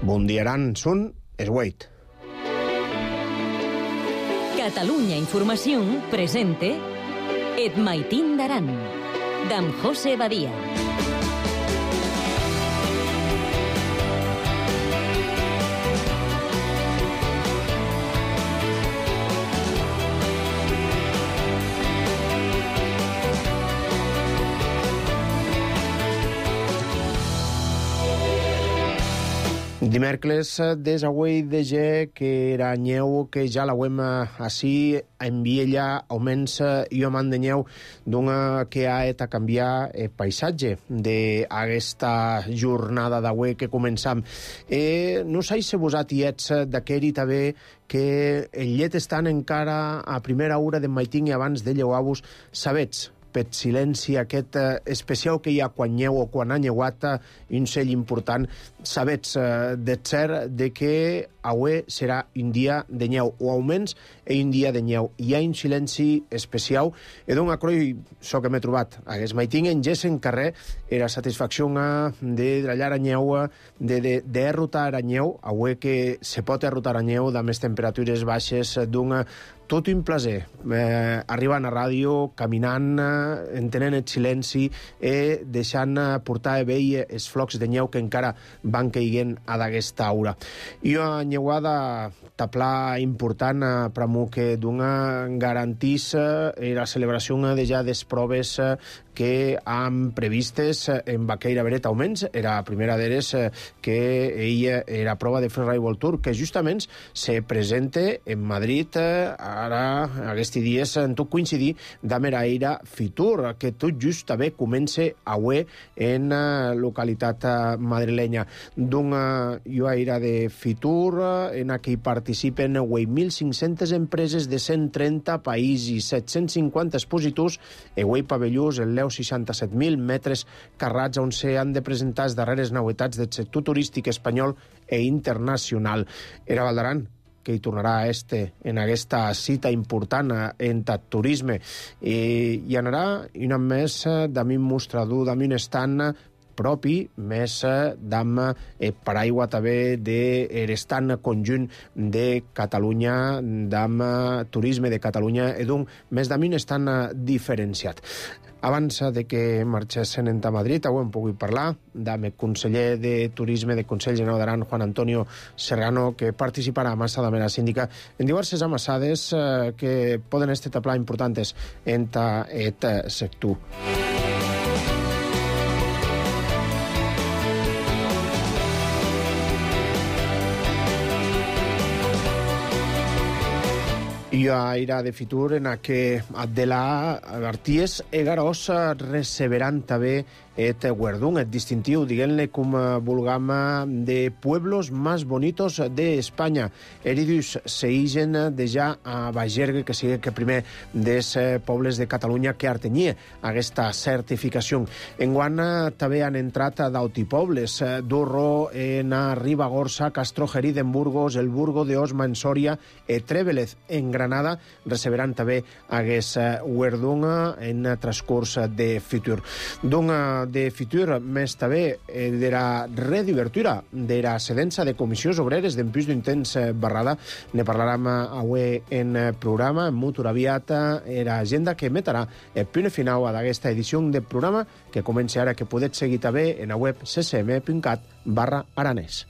Bundiaran sun esgueit. Catalunya Información presente Et Maitín d'Aran, d'en José Badia. Dimecres des avui de ge que era nyeu que ja la wem així en Viella auments i amant de nyeu d'una que ha et a canviar el paisatge d'aquesta jornada d'avui que començam. No sé si vos ets d'aquell també que el llet estan encara a primera hora de maitín i abans de lleuar-vos, sabets per silenci aquest especial que hi ha quan nyeu o quan ha nyeuat, un sell important, sabets de cert de que avui serà un dia de nyeu, o almenys un dia de nyeu. Hi ha un silenci especial, i d'un acroi, so que m'he trobat, hagués maitín en ges en carrer, era satisfacció de drallar a nyeu, de rotar a nyeu, avui que se pot rotar a nyeu, de més temperatures baixes, d'un tot un plaer, arribant a ràdio, caminant, entenent el silenci i deixant portar a vell els flocs de nyeu que encara van caiguent a d'aquesta aura. I una nyeuada tapla important per a mi que d'una garantís la celebració de ja des proves que han previstes en Baqueira Beret augments. Era la primera d'elles que ella era prova de Freeride World Tour, que justament se presente en Madrid ara, aquests dies, en tot coincidir d'amb era Eira Fitur, que tot just també comença avui en localitat madrilenya. D'una Eira de Fitur, en què hi participen 8.500 empreses de 130 països, 750 expositors, i 8 pavellons, el 67.000 metres carrats on s'han de presentar les darreres novetats del sector turístic espanyol i internacional. Era Val d'Aran que hi tornarà en aquesta cita important en turisme. Hi anarà un any més d'un mostrador, d'un estand propi, més d'amb paraigua també de l'estant conjunt de Catalunya, d'amb turisme de Catalunya, i d'un més d'un estand diferenciat. Abans de que marxessin a Madrid, avui hem pogut parlar amb el conseller de Turisme del Consell General d'Aran, Juan Antonio Serrano, que participarà a massa de la síndica en diverses amassades que poden estar taplar importants en aquest sector. I a Eira de Fitur, en què de la Arties Egaros receberan també et guardón, et distintiu, diguem-ne com vulgam, de pueblos más bonitos de Espanya. Eridus seigen de ja a Bagergue, que sigui que primer dels pobles de Catalunya que artenyia aquesta certificació. Enguant també han entrat d'altipobles, Durro, en Ribagorça, Castrojeri d'en Burgos, el Burgo de Osma en Sòria, i Trévelez en Granada, receberan també aquest guardón en transcurs de Fitur. De Fitur, més també de la redivertura de la cedença de comissions obreres d'en plus d'un temps barrada. Ne parlarem avui en programa, molt aviat, l'agenda que emetrà el punt final d'aquesta edició del programa, que comença ara, que podeu seguir també en la web ccm.cat/aranès.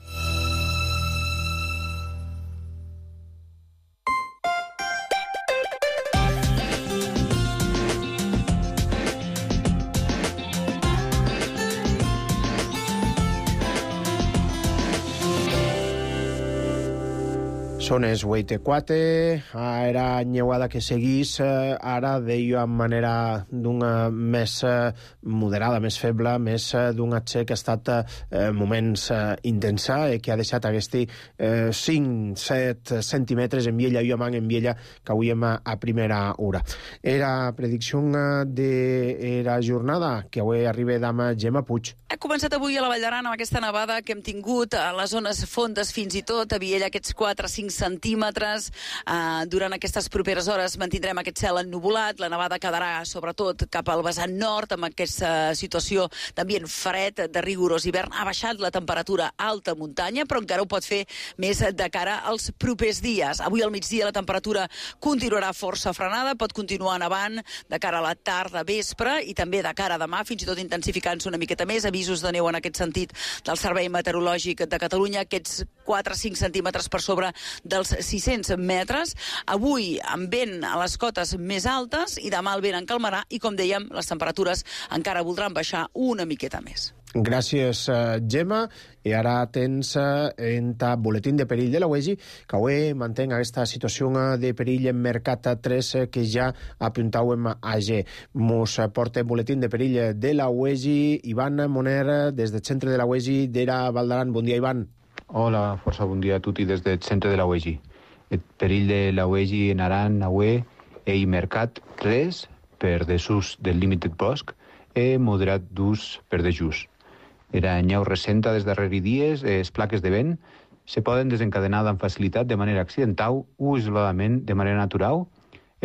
Són els 8:04, era nyeuada que seguís, ara deia de manera d'una més moderada, més feble, més d'un atxe que ha estat moments intensa, que ha deixat aquests 5-7 centímetres en Viella, i en Viella, que avui a primera hora. Era predicció de la jornada, que avui arriba d'ama Gemma Puig. Ha començat avui a la Vall d'Aran amb aquesta nevada que hem tingut a les zones fondes fins i tot, a Viella aquests 4-5 centímetres. Durant aquestes properes hores mantindrem aquest cel ennuvolat, la nevada quedarà sobretot cap al vessant nord, amb aquesta situació d'ambient fred, de rigorós hivern. Ha baixat la temperatura a alta muntanya, però encara ho pot fer més de cara als propers dies. Avui al migdia la temperatura continuarà força frenada, pot continuar nevant de cara a la tarda, vespre, i també de cara a demà, fins i tot intensificant-se una miqueta més. Avisos de neu en aquest sentit del Servei Meteorològic de Catalunya, aquests 4-5 centímetres per sobre dels 600 metres. Avui amb vent a les cotes més altes i demà el vent en calmarà i, com dèiem, les temperatures encara voldran baixar una miqueta més. Gràcies, Gemma. I ara tens en ta boletín de perill de la UEGI, que avui mantén aquesta situació de perill en Mercat 3 que ja apuntàvem ayer. Mos porta el boletín de perill de la UEGI Ivan Moner, des del centre de la UEGI d'Era Valdaran. Bon dia, Ivan. Hola, força bon dia a tutti des del centre de la UEGI. El perill de la UEGI en Aran, avui, i Mercat 3 per desús del límit bosc i moderat d'ús per desús. Era nyeu recenta des darreri dies, les plaques de vent se poden desencadenar amb facilitat de manera accidental o isoladament de manera natural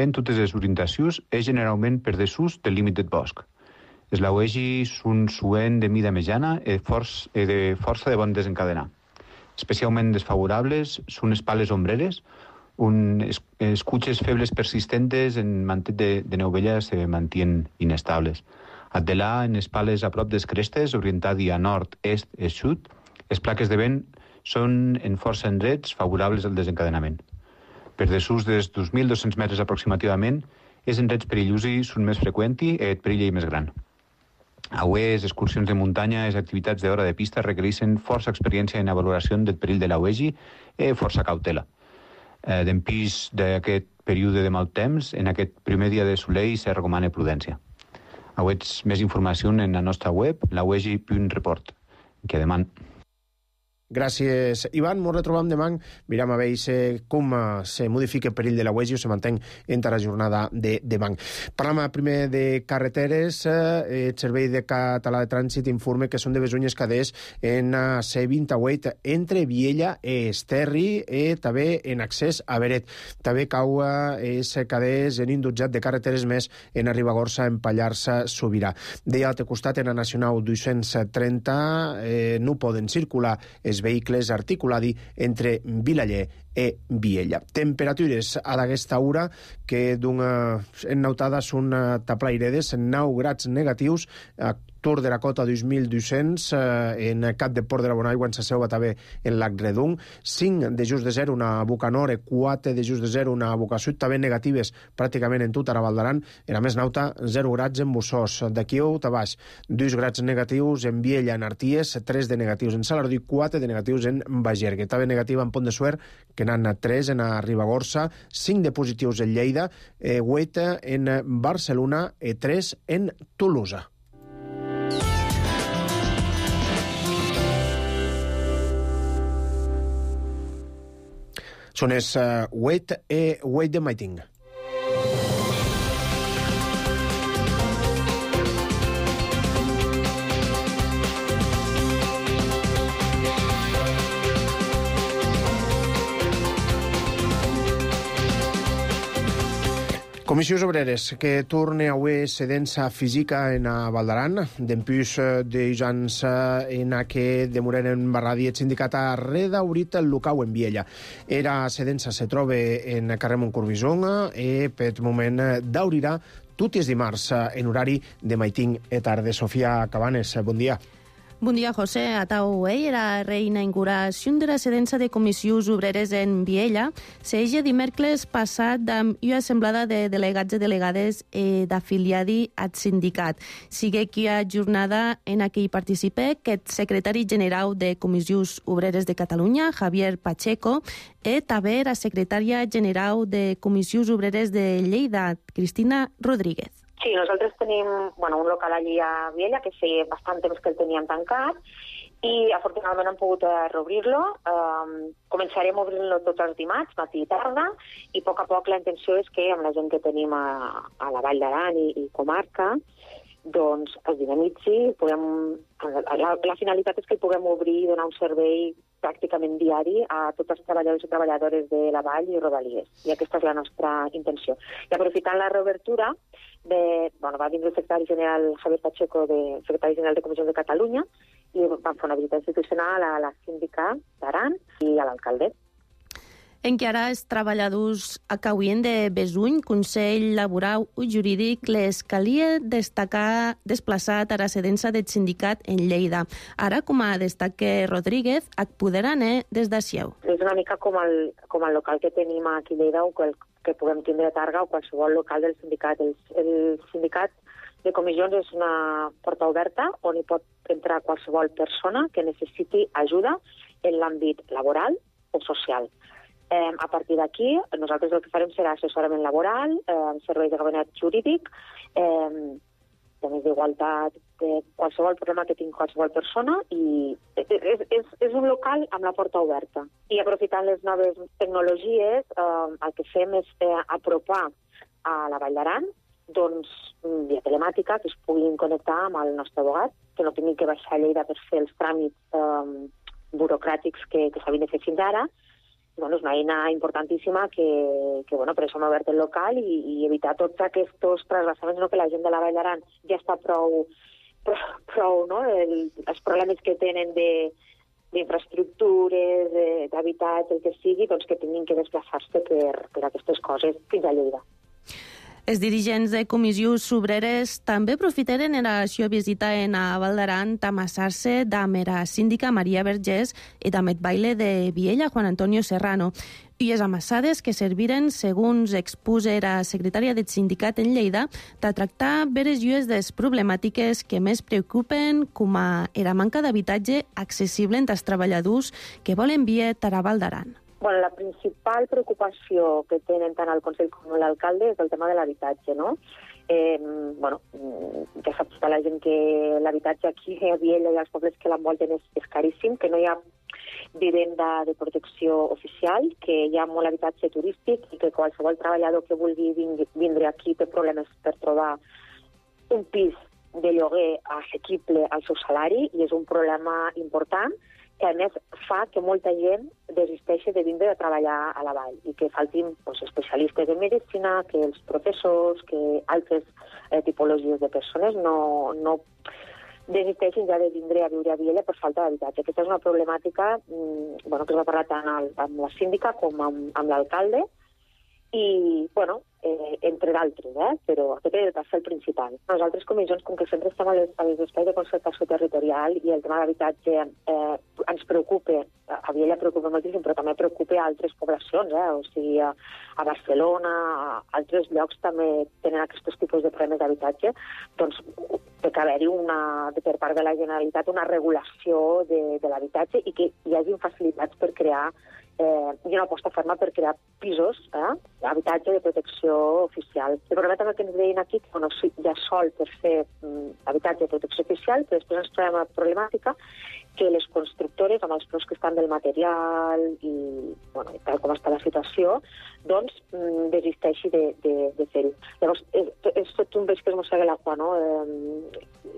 en totes les orientacions i generalment per desús del límit del bosc. Les lauegi són suent de mida mitjana i de força de bon desencadenar. Especialment desfavorables són les pales ombreres, on les cutxes febles persistentes en mantet de neu vella se mantien inestables. Adelà, en les pales a prop des crestes, orientat a nord, est i sud, les plaques de vent són en força endrets favorables al desencadenament. Per desús dels 2.200 metres aproximativament, els endrets perillosos són més freqüents i el perill més gran. Avui, les excursions de muntanya i les activitats d'hora de pista requereixen força experiència en la valoració del perill de la UEGI i força cautela. D'empís d'aquest període de mal temps, en aquest primer dia de soleil se recomana prudència. Avets més informació en la nostra web, lauegi.report, que deman. Gràcies, Ivan. Ens retrobam demà. Miram a veure com se modifica el perill de la UEGI o se manté entre la jornada de demà. Parlam primer de carreteres. El Servei de Català de Trànsit informa que són de besunyes caders en C28 entre Viella i Esterri i també en accés a Beret. També cau els caders en indutjat de carreteres més en Ribagorça, en Pallars Sobirà. De l'altre costat, en la Nacional 230, no poden circular els vehicles articuladi entre Vilaller i Viella. Temperatures a d'aquesta hora que en nautada són taplairedes, 9 grads negatius, Tor de la Cota 2.200, en Cap de Port de la Bonaigua, en sa seu també en Lac Redung, 5 de just de 0 una boca nord, 4 de just de 0 una boca sud, també negatives pràcticament en tot Ara Valdaran, en a més nauta 0 grads en Bussós, d'aquí a baix 2 grads negatius en Viella, en Arties, 3 de negatius en Salardí, 4 de negatius en Bagergue, també negativa en Pont de Suert, que n'han 3 en Ribagorça, 5 de positius en Lleida, 8 en Barcelona i 3 en Tolosa. Són els Wait de Maiting. Comissions Obreres, que torna avui sedència física en Valdaran, d'empús d'ujans en que demoraren barradi el sindicat a redaurit el local en Viella. Era sedència se troba en carrer Montcorbison i per moment d'aurirà tots els dimarts en horari de maiting i tarda. Sofia Cabanes, bon dia. Bon dia, José. Atau era reinauguració de la sedència de comissions obreres en Viella. S'eja dimecres passat amb una assemblada de delegats i delegades d'afiliadi al sindicat. Sigue que a jornada en què hi participa el secretari general de Comissions Obreres de Catalunya, Javier Pacheco, i també la secretària general de Comissions Obreres de Lleida, Cristina Rodríguez. Sí, nosaltres tenim un local allí a Viella que feia bastant temps que el teníem tancat i afortunadament hem pogut reobrir-lo. Començarem a obrir-lo tots els dimarts, matí i tarda, i a poc la intenció és que amb la gent que tenim a la Vall d'Aran i comarca doncs es dinamitzi. La finalitat és que el puguem obrir i donar un servei pràcticament diari a tots els treballadors i treballadores de la Vall i Rodalies. I aquesta és la nostra intenció. I aprofitant la reobertura, va vindre el secretari general Javier Pacheco, secretari general de Comissions de Catalunya, i vam fer una visita institucional a la síndica d'Aran i a l'alcalde. Encara els treballadors acauen de Besuny, Consell Laboral i Jurídic, les calia destacar desplaçat a la residència del sindicat en Lleida. Ara, com a destaque Rodríguez, poderan des de Sieu. És una mica com el local que tenim aquí a Lleida o que puguem tindre a Targa o qualsevol local del sindicat. El sindicat de comissions és una porta oberta on hi pot entrar qualsevol persona que necessiti ajuda en l'àmbit laboral o social. A partir d'aquí, nosaltres el que farem serà assessorament laboral, serveis de gabinet jurídic, temes d'igualtat, qualsevol problema que tingui qualsevol persona, i és un local amb la porta oberta. I aprofitant les noves tecnologies, el que fem és apropar a la Vall d'Aran, doncs, via telemàtica, que es puguin connectar amb el nostre abogat, que no tinguin que baixar a Lleida per fer els tràmits burocràtics que s'havien de fer fins ara. És una eina importantíssima que per això hem obert el local i evitar tots aquests trasbassaments, que la gent de la Vall d'Aran ja està prou els problemes que tenen d'infraestructures, d'habitatge, el que sigui, doncs que tinguin que desplaçar-se per aquestes coses fins a Lleida. Els dirigents de comissions obreres també aprofitaren la seva visita a Val d'Aran per amassar-se amb la síndica Maria Vergés i amb el baile de Viella, Juan Antonio Serrano. I les amassades que serviren, segons expusa la secretària del sindicat en Lleida, de tractar veres llues de les problemàtiques que més preocupen, com la manca d'habitatge accessible entre els treballadors que volen viure a Val d'Aran. La principal preocupació que tenen tant el Consell com l'alcalde és el tema de l'habitatge, no? Ja sap tota la gent que l'habitatge aquí a Viella i als pobles que l'envolten és caríssim, que no hi ha vivenda de protecció oficial, que hi ha molt habitatge turístic i que qualsevol treballador que vulgui vindre aquí té problemes per trobar un pis de lloguer assequible al seu salari, i és un problema important que a més fa que molta gent desisteixi de vindre a treballar a la vall i que faltin especialistes en medicina, que els professors, que altres tipologies de persones no desisteixin ja de vindre a viure a Viella per falta d'habitatge. Aquesta és una problemàtica que es va parlar tant amb la síndica com amb l'alcalde i, entre d'altres, però aquest va ser el principal. Nosaltres, comissions, com que sempre estem als espais de concertació territorial i el tema d'habitatge ens preocupa, a Viella preocupa moltíssim, però també preocupa a altres poblacions, o sigui, a Barcelona, a altres llocs també tenen aquests tipus de problemes d'habitatge, doncs té que haver-hi per part de la Generalitat una regulació de l'habitatge i que hi hagi facilitats per crear i una aposta ferma per crear pisos, habitatge de protecció oficial. El problema també que ens deien aquí que hi ha sol per fer habitatge de protecció oficial, però després ens trobem la problemàtica que les constructores, amb els preus que estan del material i tal com està la situació, doncs desisteixi de fer-ho. Llavors, és tot un peix que es mossega l'aigua, no?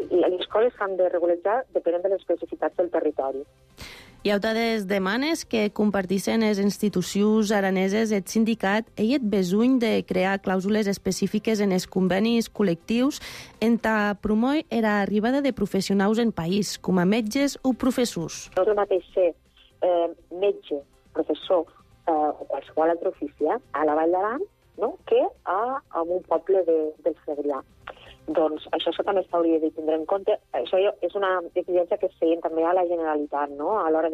Les coses s'han de regularitzar depenent de les especificitats del territori. Hi ha altres demanes que compartissin les institucions araneses el sindicat i el besuny de crear clàusules específiques en els convenis col·lectius entre promoure l'arribada de professionals en país, com a metges o professors. No és el mateix ser metge, professor o qualsevol altre ofici a la Vall d'Aran que en un poble del Segrià. Doncs això també s'hauria de tindre en compte. Això és una exigència que es feien també a la Generalitat, a l'hora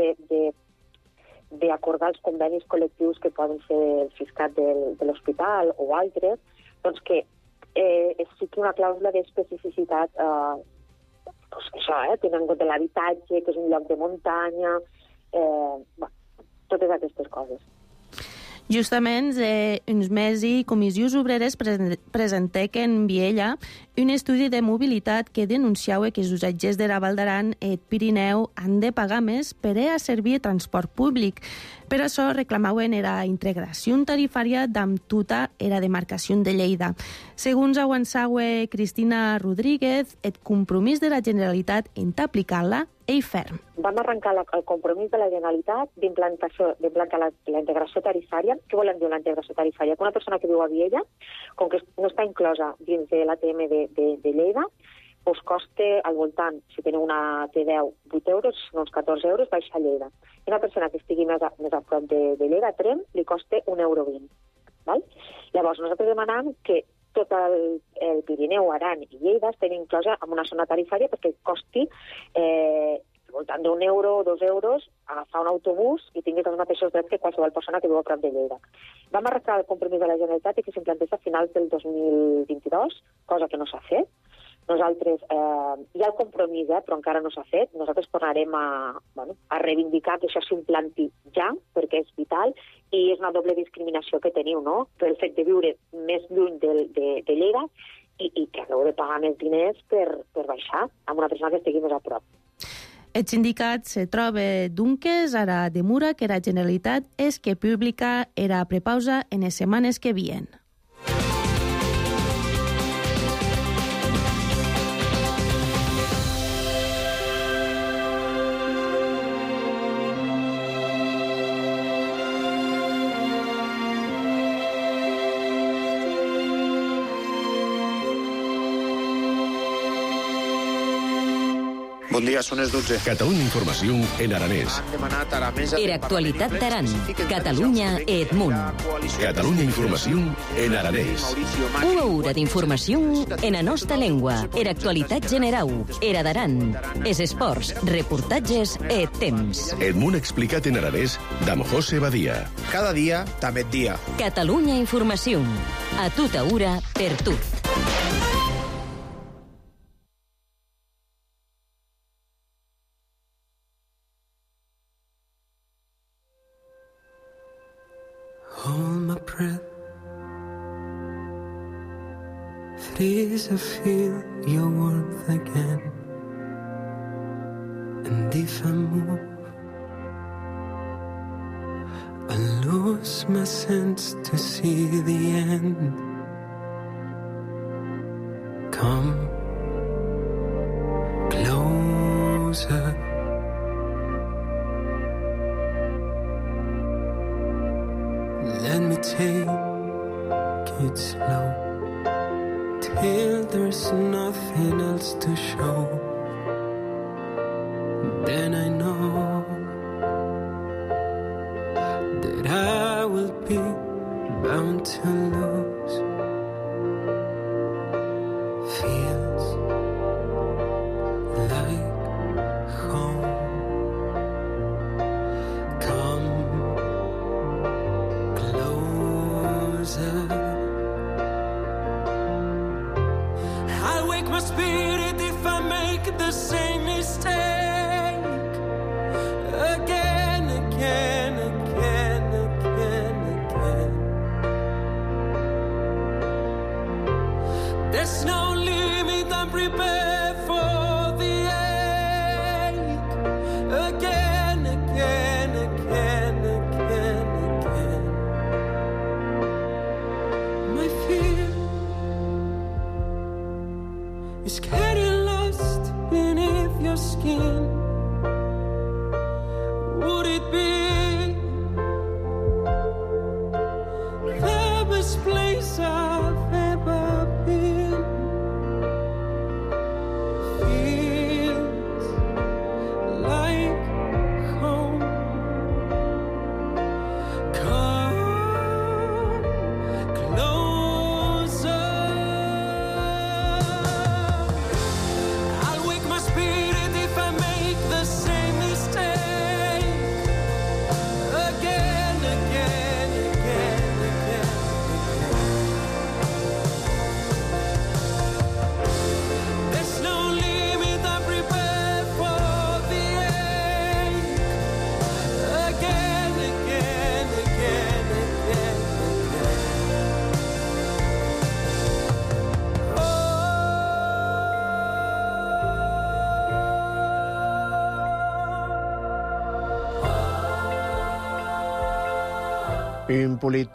d'acordar els convenis col·lectius que poden ser el fiscat de l'hospital o altres, doncs que es fiqui una clàusula d'especificitat, tenint en compte l'habitatge, que és un lloc de muntanya, totes aquestes coses. Justament, uns mesos i Comissions Obreres presentèc en Viella un estudi de mobilitat que denunciava que els usatgers de la Val d'Aran i Pirineu han de pagar més per a servir transport públic. Per això reclamaven la integració tarifària d'amb tota la demarcació de Lleida. Segons avançava Cristina Rodríguez, el compromís de la Generalitat en aplicar-la és ferm. Vam arrencar el compromís de la Generalitat d'implantar la integració tarifària. Què volen dir la integració tarifària? Que una persona que viu a Viella, com que no està inclosa dins de l'ATM de Lleida, us costa al voltant, si teniu una T10, 8 euros, uns 14 euros, baixa a Lleida. I una persona que estigui més a prop de Lleida, a Tremp, li costa 1,20 €. Val? Llavors, nosaltres demanem que tot el Pirineu, Aran i Lleida estan inclosa en una zona tarifària perquè costi al voltant d'1 euro o 2 euros agafar un autobús i tinguis els mateixos drets que qualsevol persona que viu a prop de Lleida. Vam arrencar el compromís de la Generalitat i que s'implantés a finals del 2022, cosa que no s'ha fet. Nosaltres, hi ha el compromís, però encara no s'ha fet. Nosaltres tornarem a reivindicar que això s'implanti ja, perquè és vital, i és una doble discriminació que teniu, no?, pel fet de viure més lluny de Lleida i que haureu de pagar més diners per baixar amb una persona que estigui més a prop. El sindicat se troba, doncs, ara demura que la Generalitat és que publica la prepausa en les setmanes que vien. Bon dia, són les 12. Catalunya Informació en aranès. Han demanat a la mesa... Era actualitat d'Aran, Catalunya e Edmunt. Catalunya Informació en aranès. Una hora d'informació en la nostra llengua. Era actualitat general. Era d'Aran. Es esports, reportatges e temps. Edmunt explicat en aranès d'Amb José Badia. Cada dia, també dia. Catalunya Informació. A tota hora, per tot. Hold my breath, freeze, I feel your warmth again. And if I move, I lose my sense to see the end. Come closer. Let me take it slow till there's nothing else to show. Then I know that I will be bound to lose. Feels like home. Come I'll wake my spirit if I make the same mistake again, again, again, again, again. There's no limit, I'm prepared for the ache again, again, again, again, again. My fear is getting lost beneath Un polit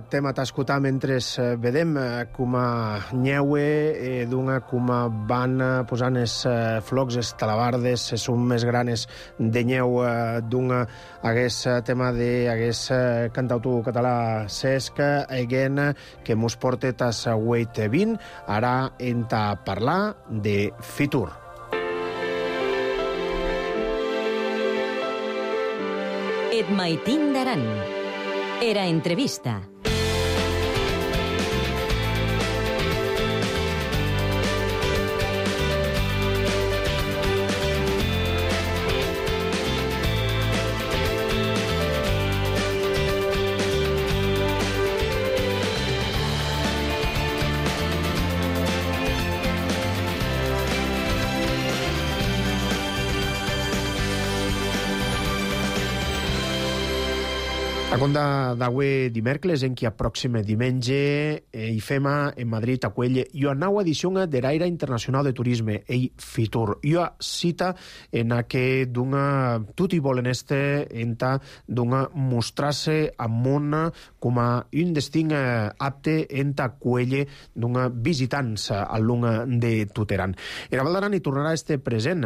tema t'escoltar mentre vedem com a nyeue d'una com a van posant els flocs, els talabardes, les són més granes de nyeu d'una hagués tema d'hagués cantautor català Cesc Eguena que mos porta tas 8:20. Ara enta parlar de Fitur. Et maitin d'Aran. Era entrevista. A conta d'avui dimèrcoles, en qui a pròxime diumenge hi fem en Madrid a Cuelle i a nova edició de l'Aire Internacional de Turisme, ei Fitur. I a cita en a que d'una tot i volen enta d'una mostrar-se a món com a un destin apte enta Cuelle d'una visitants al lung de Tuteran. Era Val d'Aran hi tornarà present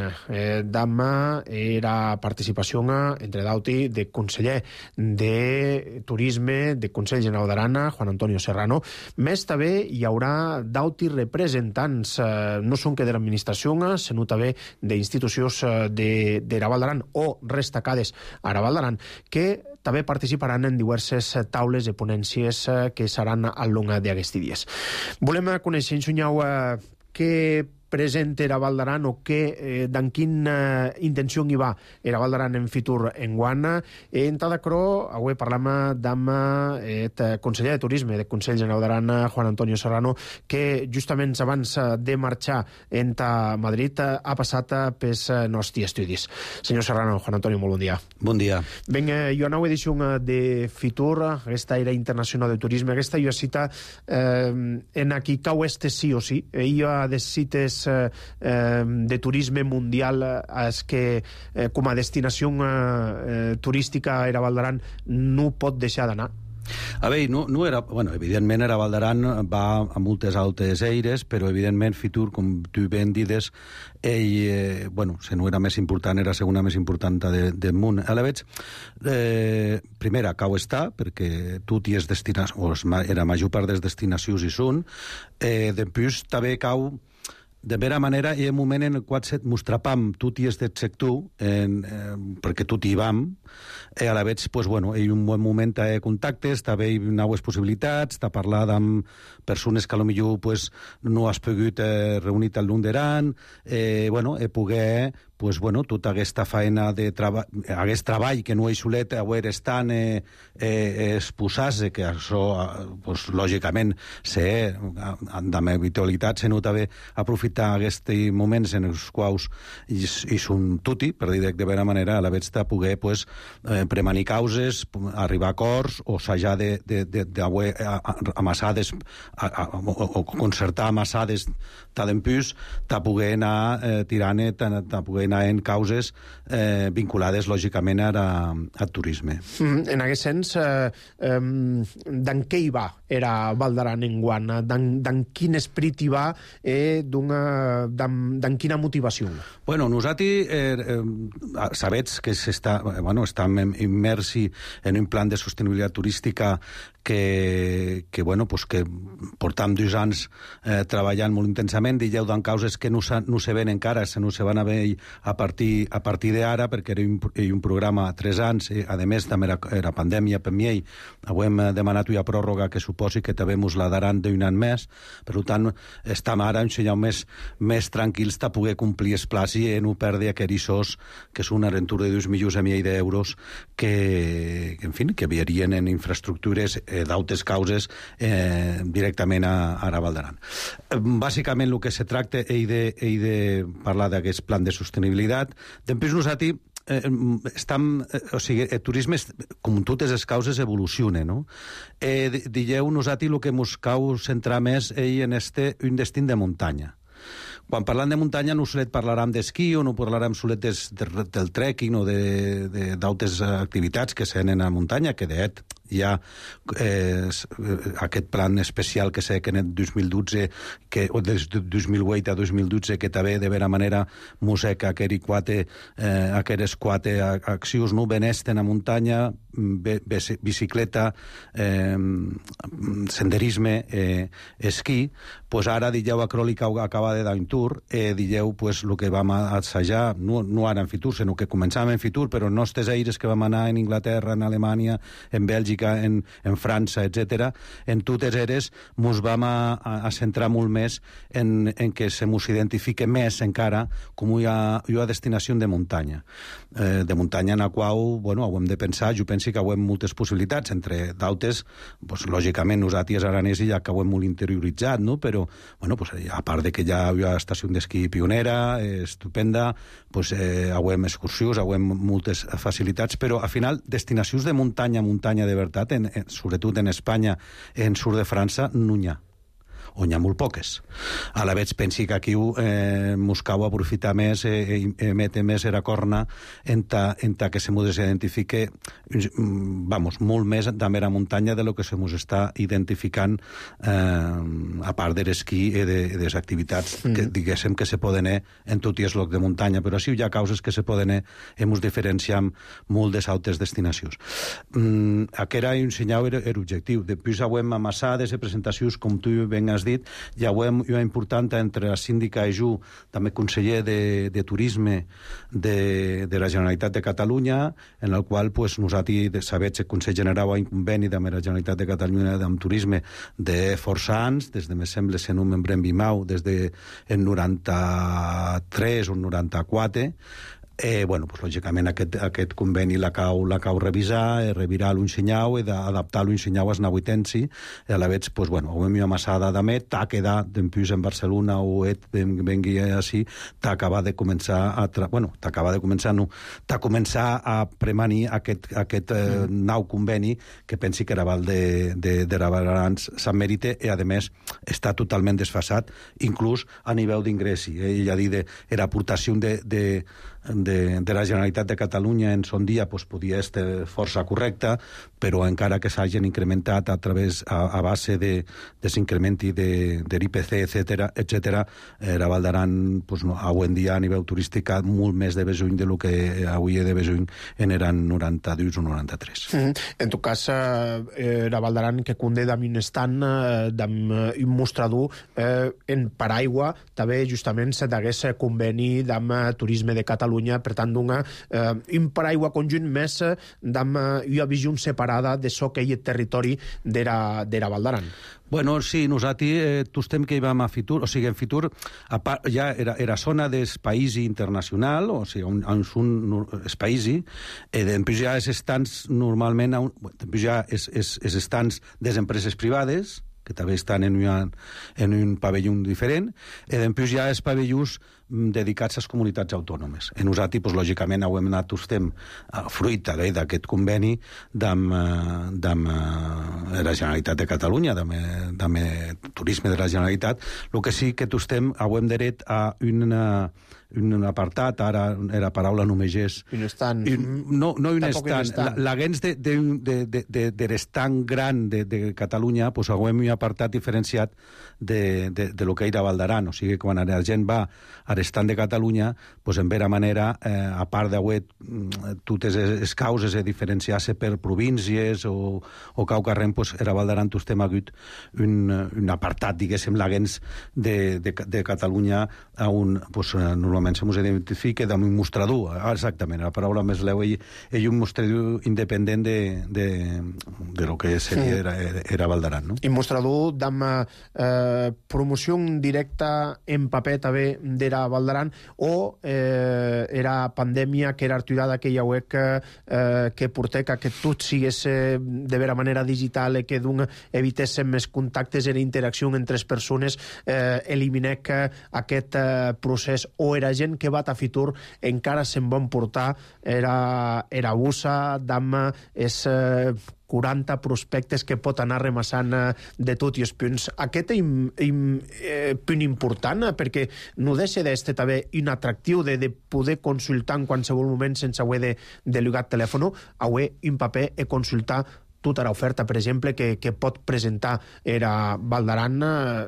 demà era participació entre d'auti de conseller de Turisme de Consell General d'Aran, Juan Antonio Serrano. Més també hi haurà d'auti representants, no són que de l'administració, sinó també d'institucions de Val d'Aran o destacades a Val d'Aran, que també participaran en diverses taules de ponències que seran al llarg d'aquests dies. Volem conèixer, Sunyau, què present era Val d'Aran o d'en quina intenció hi va era Val d'Aran en Fitur en guana. En tal d'acro, avui parlam amb el conseller de Turisme del Consell General d'Aran, Juan Antonio Serrano, que justament abans de marxar enta Madrid ha passat pels nostres estudis. Senyor Serrano, Juan Antonio, molt bon dia. Bon dia. Ben, jo a nova edició de Fitur, aquesta Aire Internacional de Turisme, aquesta jo cita en aquí cau sí o sí. Jo ha de cites de turisme mundial és que com a destinació turística era Val d'Aran no pot deixar d'anar. A veure, no era... Bueno, evidentment era Val d'Aran va a moltes altes eires, però evidentment Fitur, com tu ben dides, ell, bueno, si no era més important, era segona més important del món. A la veig, primera, cau està, perquè tot i és destinació, o era major part des destinacions hi són, després també cau de vera manera, hi ha un moment en el qual mostrapam tot i aquest sector, perquè tot hi vam, a la veig, pues, bueno, hi ha un bon moment de contactes, també hi ha noves possibilitats, de parlar amb persones que potser pues, no has pogut reunir al lung d'Aran, bueno, poder pues, bueno, tota aquesta feina de treball, aquest treball que no és solet haver estan exposar-se, que això, pues, lògicament, amb habitualitat, se nota bé aprofitar aquests moments en els quals hi són tuti, per dir de bona manera, a la veig de poder pues, premanir causes, arribar a acords, o assajar d'haver amassades, o concertar amassades d'empús, de poder anar tirant, de poder anar en causes vinculades, lògicament, al turisme. En aquest sens, d'en què hi va era Val d'Aran en guan? D'en quin esperit hi va? D'en quina motivació? Bueno, nosaltres sabets que estem immersi en un plan de sostenibilitat turística que portam 2 anys treballant molt intensament, digueu d'en causes que no se ven encara, no se van a veure a partir d'ara, perquè era un programa a 3 anys, a més també era pandèmia per mi, avui hem demanat una pròrroga que suposi que també mos la daran d'un any més, per tant estem ara un senyal més tranquils de poder complir els plans i no perdre aquests que són una rentura de 2 milions i mig d'euros que enviarien en infraestructures d'altres causes directament a Val d'Aran. Bàsicament el que se tracta és de parlar d'aquest plan de sostenibilitat. Després nosaltres el turisme, com totes les causes, evoluciona, no? Digueu nosaltres el que ens cau centrar més en un destí de muntanya. Quan parlant de muntanya no solet parlarem d'esquí o no parlarem solet del trekking o d'altres activitats que se tenen a muntanya, que Hi ha aquest plan especial que sé que en el 2012, o des de 2008 a 2012, que també de vera manera musica aqueres quatre accions, no? Benesten a muntanya, bicicleta, senderisme, esquí. Pues ara dijeu a Cròlica acaba de dar un tour, dijeu pues el que vam assajar, no ara en Fitur, sinó que començàvem en Fitur, però en nostres aires que vam anar en Inglaterra, en Alemanya, en Bèlgica, en França, etc. En totes eres mos vam a centrar molt més en que se mos identifique més encara com una destinació de muntanya. De muntanya en la qual, bueno, ho hem de pensar, jo penso que ho hem moltes possibilitats, entre d'altres, pues, lògicament nosaltres aranesi ja que ho hem molt interioritzat, no? Però, bueno, pues, a part de que hi ha una estació d'esquí pionera, estupenda, pues, ho hem excursions, ho hem moltes facilitats, però al final destinacions de muntanya de veritat, sobretot en Espanya, en sud de França, no n'hi ha. O n'hi ha molt poques. A la vegada pensi que aquí mos cau aprofitar més, mete més era corna en que se mos identifique molt més de mera muntanya de lo que se mos està identificant a part de l'esquí i de les activitats que diguéssim que se poden en tot i el lloc de muntanya, però sí hi ha causes que se poden mos diferenciam molt de altres destinacions. Aquest era un senyal objectiu. Després ho hem amassat de presentacions, com tu ben has dit, ja ho hem important entre la síndica i jo, també conseller de Turisme de la Generalitat de Catalunya, en el qual pues, nosaltres sabem que el Consell General ha un conveni amb la Generalitat de Catalunya amb Turisme de força anys, des de, me sembla, ser un membre en Bimau, des de en 93 o 94. Bueno, pues, lògicament aquest conveni la cau revisar, revirar l'unsenyau i d'adaptar l'unsenyau als nahuitensi, i a la vegada, pues, bueno, ho hem amassada d'amet, t'ha quedat d'empús en Barcelona o vengui així, t'ha de començar a premanir aquest nou conveni que pensi que era val de Ravallarans Sant Mèrite, i a més està totalment desfasat, inclús a nivell d'ingressi. Ell ha dit que l'aportació de la Generalitat de Catalunya en son dia pues, podia estar força correcta, però encara que s'hagin incrementat a base de s'incrementi de l'IPC, etc., la Val d'Aran pues, avui en dia a nivell turístic ha molt més de besuny del que avui de besuny en eren 92 o 93. En tot cas, la Val d'Aran que conté d'un estant, d'un mostrador en paraigua, també justament se d'agués conveni amb Turisme de Catalunya, per tant, un paraigua conjunt més amb una visió separada de so que hi ha territori de la Val d'Aran. Bueno, sí, nosaltres tostem que hi vam a Fitur, o sigui, en Fitur ja era zona dels països internacional, o sigui, on són els països, després ja els estants normalment, després ja els estants de les empreses privades, que també estan en un pavelló diferent, i després hi ha els pavellons dedicats a les comunitats autònomes. En nosaltres, pues, lògicament, ho hem anat tostem fruit d'aquest conveni amb la Generalitat de Catalunya, amb Turisme de la Generalitat. El que sí que tostem, ho hem dret a un apartat, ara la paraula només és... Un estant. No un estant. L'agents de l'estant gran de Catalunya, pues, ho hem apartat diferenciat de lo que era Val d'Aran. O sigui, quan la gent va a l'estant de Catalunya, pues, en vera manera, a part d'haver totes les causes de diferenciar-se per províncies o cau carrem, pues, era Val d'Aran tostem hagut un apartat, diguéssim, l'agents de Catalunya on, pues, normalment se mos identifica d'un mostrador, exactament, la paraula més leu, ell un mostrador independent de lo que seria era Val d'Aran, no? I mostrador amb promoció directa en paper també de la Val d'Aran, o era pandèmia que era arturada aquella web que portà que tot sigués de vera manera digital i que evitéssim més contactes i interacció entre les persones, eliminec aquest procés, o era gent que va a Fitur encara se'n van portar era bussa d'ama és 40 prospectes que pot anar remassant de tot i els punts. Aquest és un punt important, perquè no deixa d'estar també un atractiu de poder consultar en qualsevol moment sense haver de llogar telèfon, haver un paper i consultar tota l'oferta, per exemple, que pot presentar era Val d'Aran,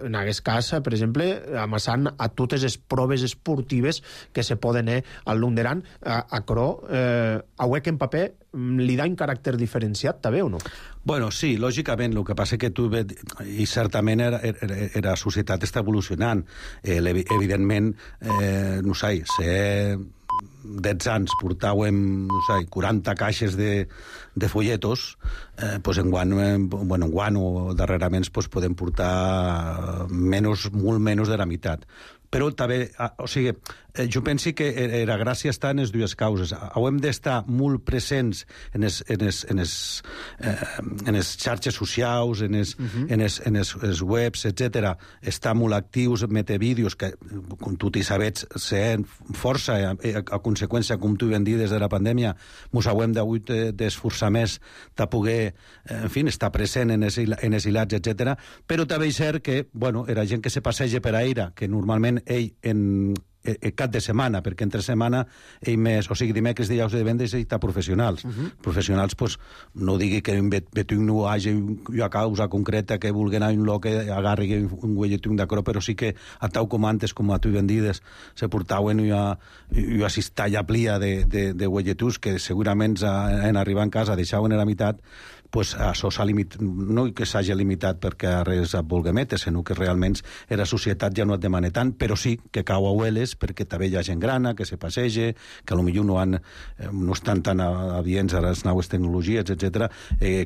en aquest cas, per exemple, amassant a totes les proves esportives que se poden al Lung d'Aran. Aquerò, aué que en paper li da un caràcter diferenciat, també, o no? Bueno, sí, lògicament, el que passa que tu... I certament la societat està evolucionant. Evidentment, no sé, 10 anys portàvem, no sé, 40 caixes de folletos, pues enguany o darrerament podem portar molt menys de la meitat. Però també, o sigui, jo penso que la gràcia està en les dues causes. Hem d'estar molt presents en les xarxes socials, en les webs, etc. Estar molt actius, metre vídeos, que, com tu t'hi sabets, ser força, a conseqüència, com tu ben dit, des de la pandèmia, ens hem d'esforçar més de poder, en fi, estar present en els hilats, etc. Però també és cert que, bueno, era gent que se passeja per aire, que normalment ell en cap de setmana, perquè entre setmana ell més, o sigui, dimecres, dijous i divendres ell està professionals. Professionals, pues, no digui que betung no hagi una causa concreta que vulgui anar a un lloc que agarri un guelletung d'acrò, però sí que a tau com antes, com a tu ben dides, se portaven una cistalla plia de guelletus que segurament en arribar a casa deixaven a la meitat, pues això s'ha limitat, no que s'hagi limitat perquè res et vulgui metre, sinó que realment la societat ja no et demana tant, però sí que cau a hueles perquè també hi ha gent grana, que se passeja, que potser no estan tan adients a les noves tecnologies, etc.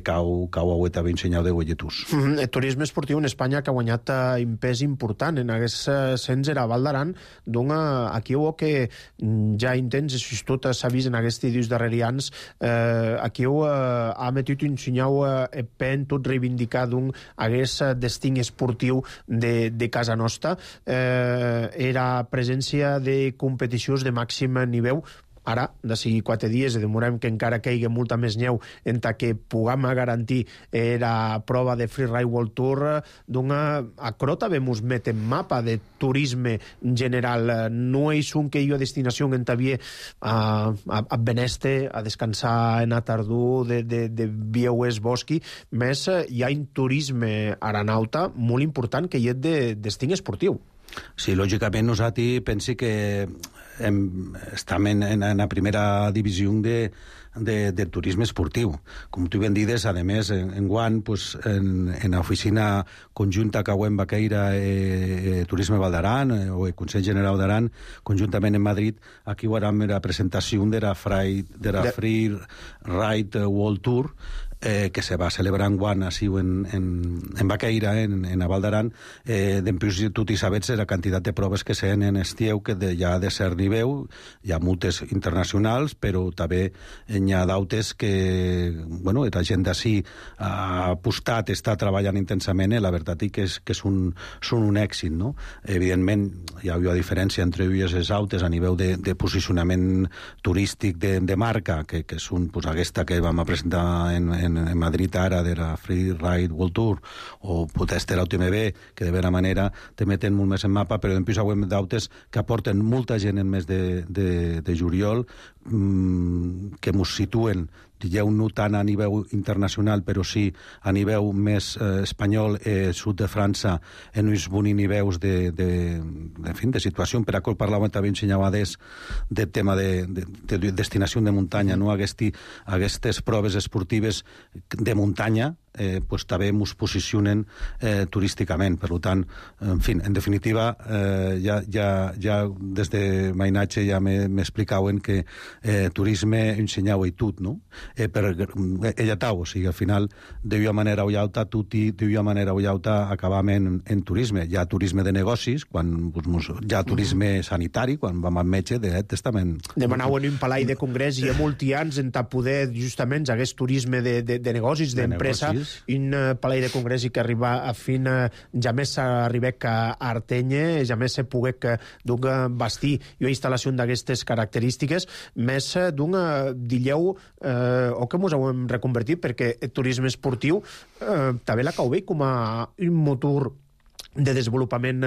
Cau a huet també ensenyau de guelletus. El turisme esportiu en Espanya que ha guanyat un pes important en aquest sens era Val d'Aran, doncs aquí que ja intents, això tot s'ha vist en aquests dies darrerians, aquí ha metit un senyal pen tot reivindicar d'un hagués destin esportiu de casa nostra. Era presència de competicions de màxim nivell. Ara, d'ací 4 dies, demorem que encara caigui molta més neu entre que puguem garantir la prova de Freeride World Tour. Aquerò també ens met en mapa de turisme en general. No és que hi ha destinació en Tavier a Beneste, a descansar en a tardor de vieues bosqui, més hi ha un turisme aranauta molt important que hi ha de destí esportiu. Sí, lògicament nosaltres pensi que estem en la primera divisió de turisme esportiu. Com tu ben dides, a més, enguany, en l'oficina conjunta que hem Baqueira Turisme Val d'Aran, o el Consell General d'Aran, conjuntament en Madrid, aquí hi haurà la presentació de la Free Ride World Tour, que se va celebrar enguany així en Baqueira, en Val d'Aran. Dempués, tu t'hi sabets la quantitat de proves que se'n en estieu, que hi ha de cert nivell, hi ha moltes internacionals, però també hi ha d'altres que, bueno, la gent d'ací ha apostat, està treballant intensament, la veritat és que són un èxit, no? Evidentment, hi ha una diferència entre elles i les altres a nivell de posicionament turístic de marca, que són aquesta que vam presentar en Madrid ara, de la Free Ride World Tour, o potser l'UTMB, que de vera manera te meten molt més en mapa, però després hi ha d'altres que aporten molta gent en mes de juliol, que ens situen, digueu, no tant a nivell internacional, però sí a nivell més espanyol, sud de França, en uns bons nivells de situació. Per això parlàvem també ensenyades del tema de destinació de muntanya, no? Aquestes proves esportives de muntanya també ens posicionen turísticament. Per tant, en definitiva, ja des de mainatge ja m'explicaven que turisme ensenyau i tot, no? Per ella tau, o sigui, al final, d'una manera o altra, d'una manera o altra acabam en turisme. Hi ha turisme de negocis, hi ha turisme sanitari, quan vam al metge, de testament. Demanau en un palai de congrés i hi ha molts anys en poder, justament, hagués turisme de negocis, d'empresa, un palai de congrés i que arriba a fin, ja més s'arribec a Artenya, ja més se poguec bastir una instal·lació d'aquestes característiques, més dilleu o que ens hem reconvertit, perquè el turisme esportiu també la cau bé com a un motor de desenvolupament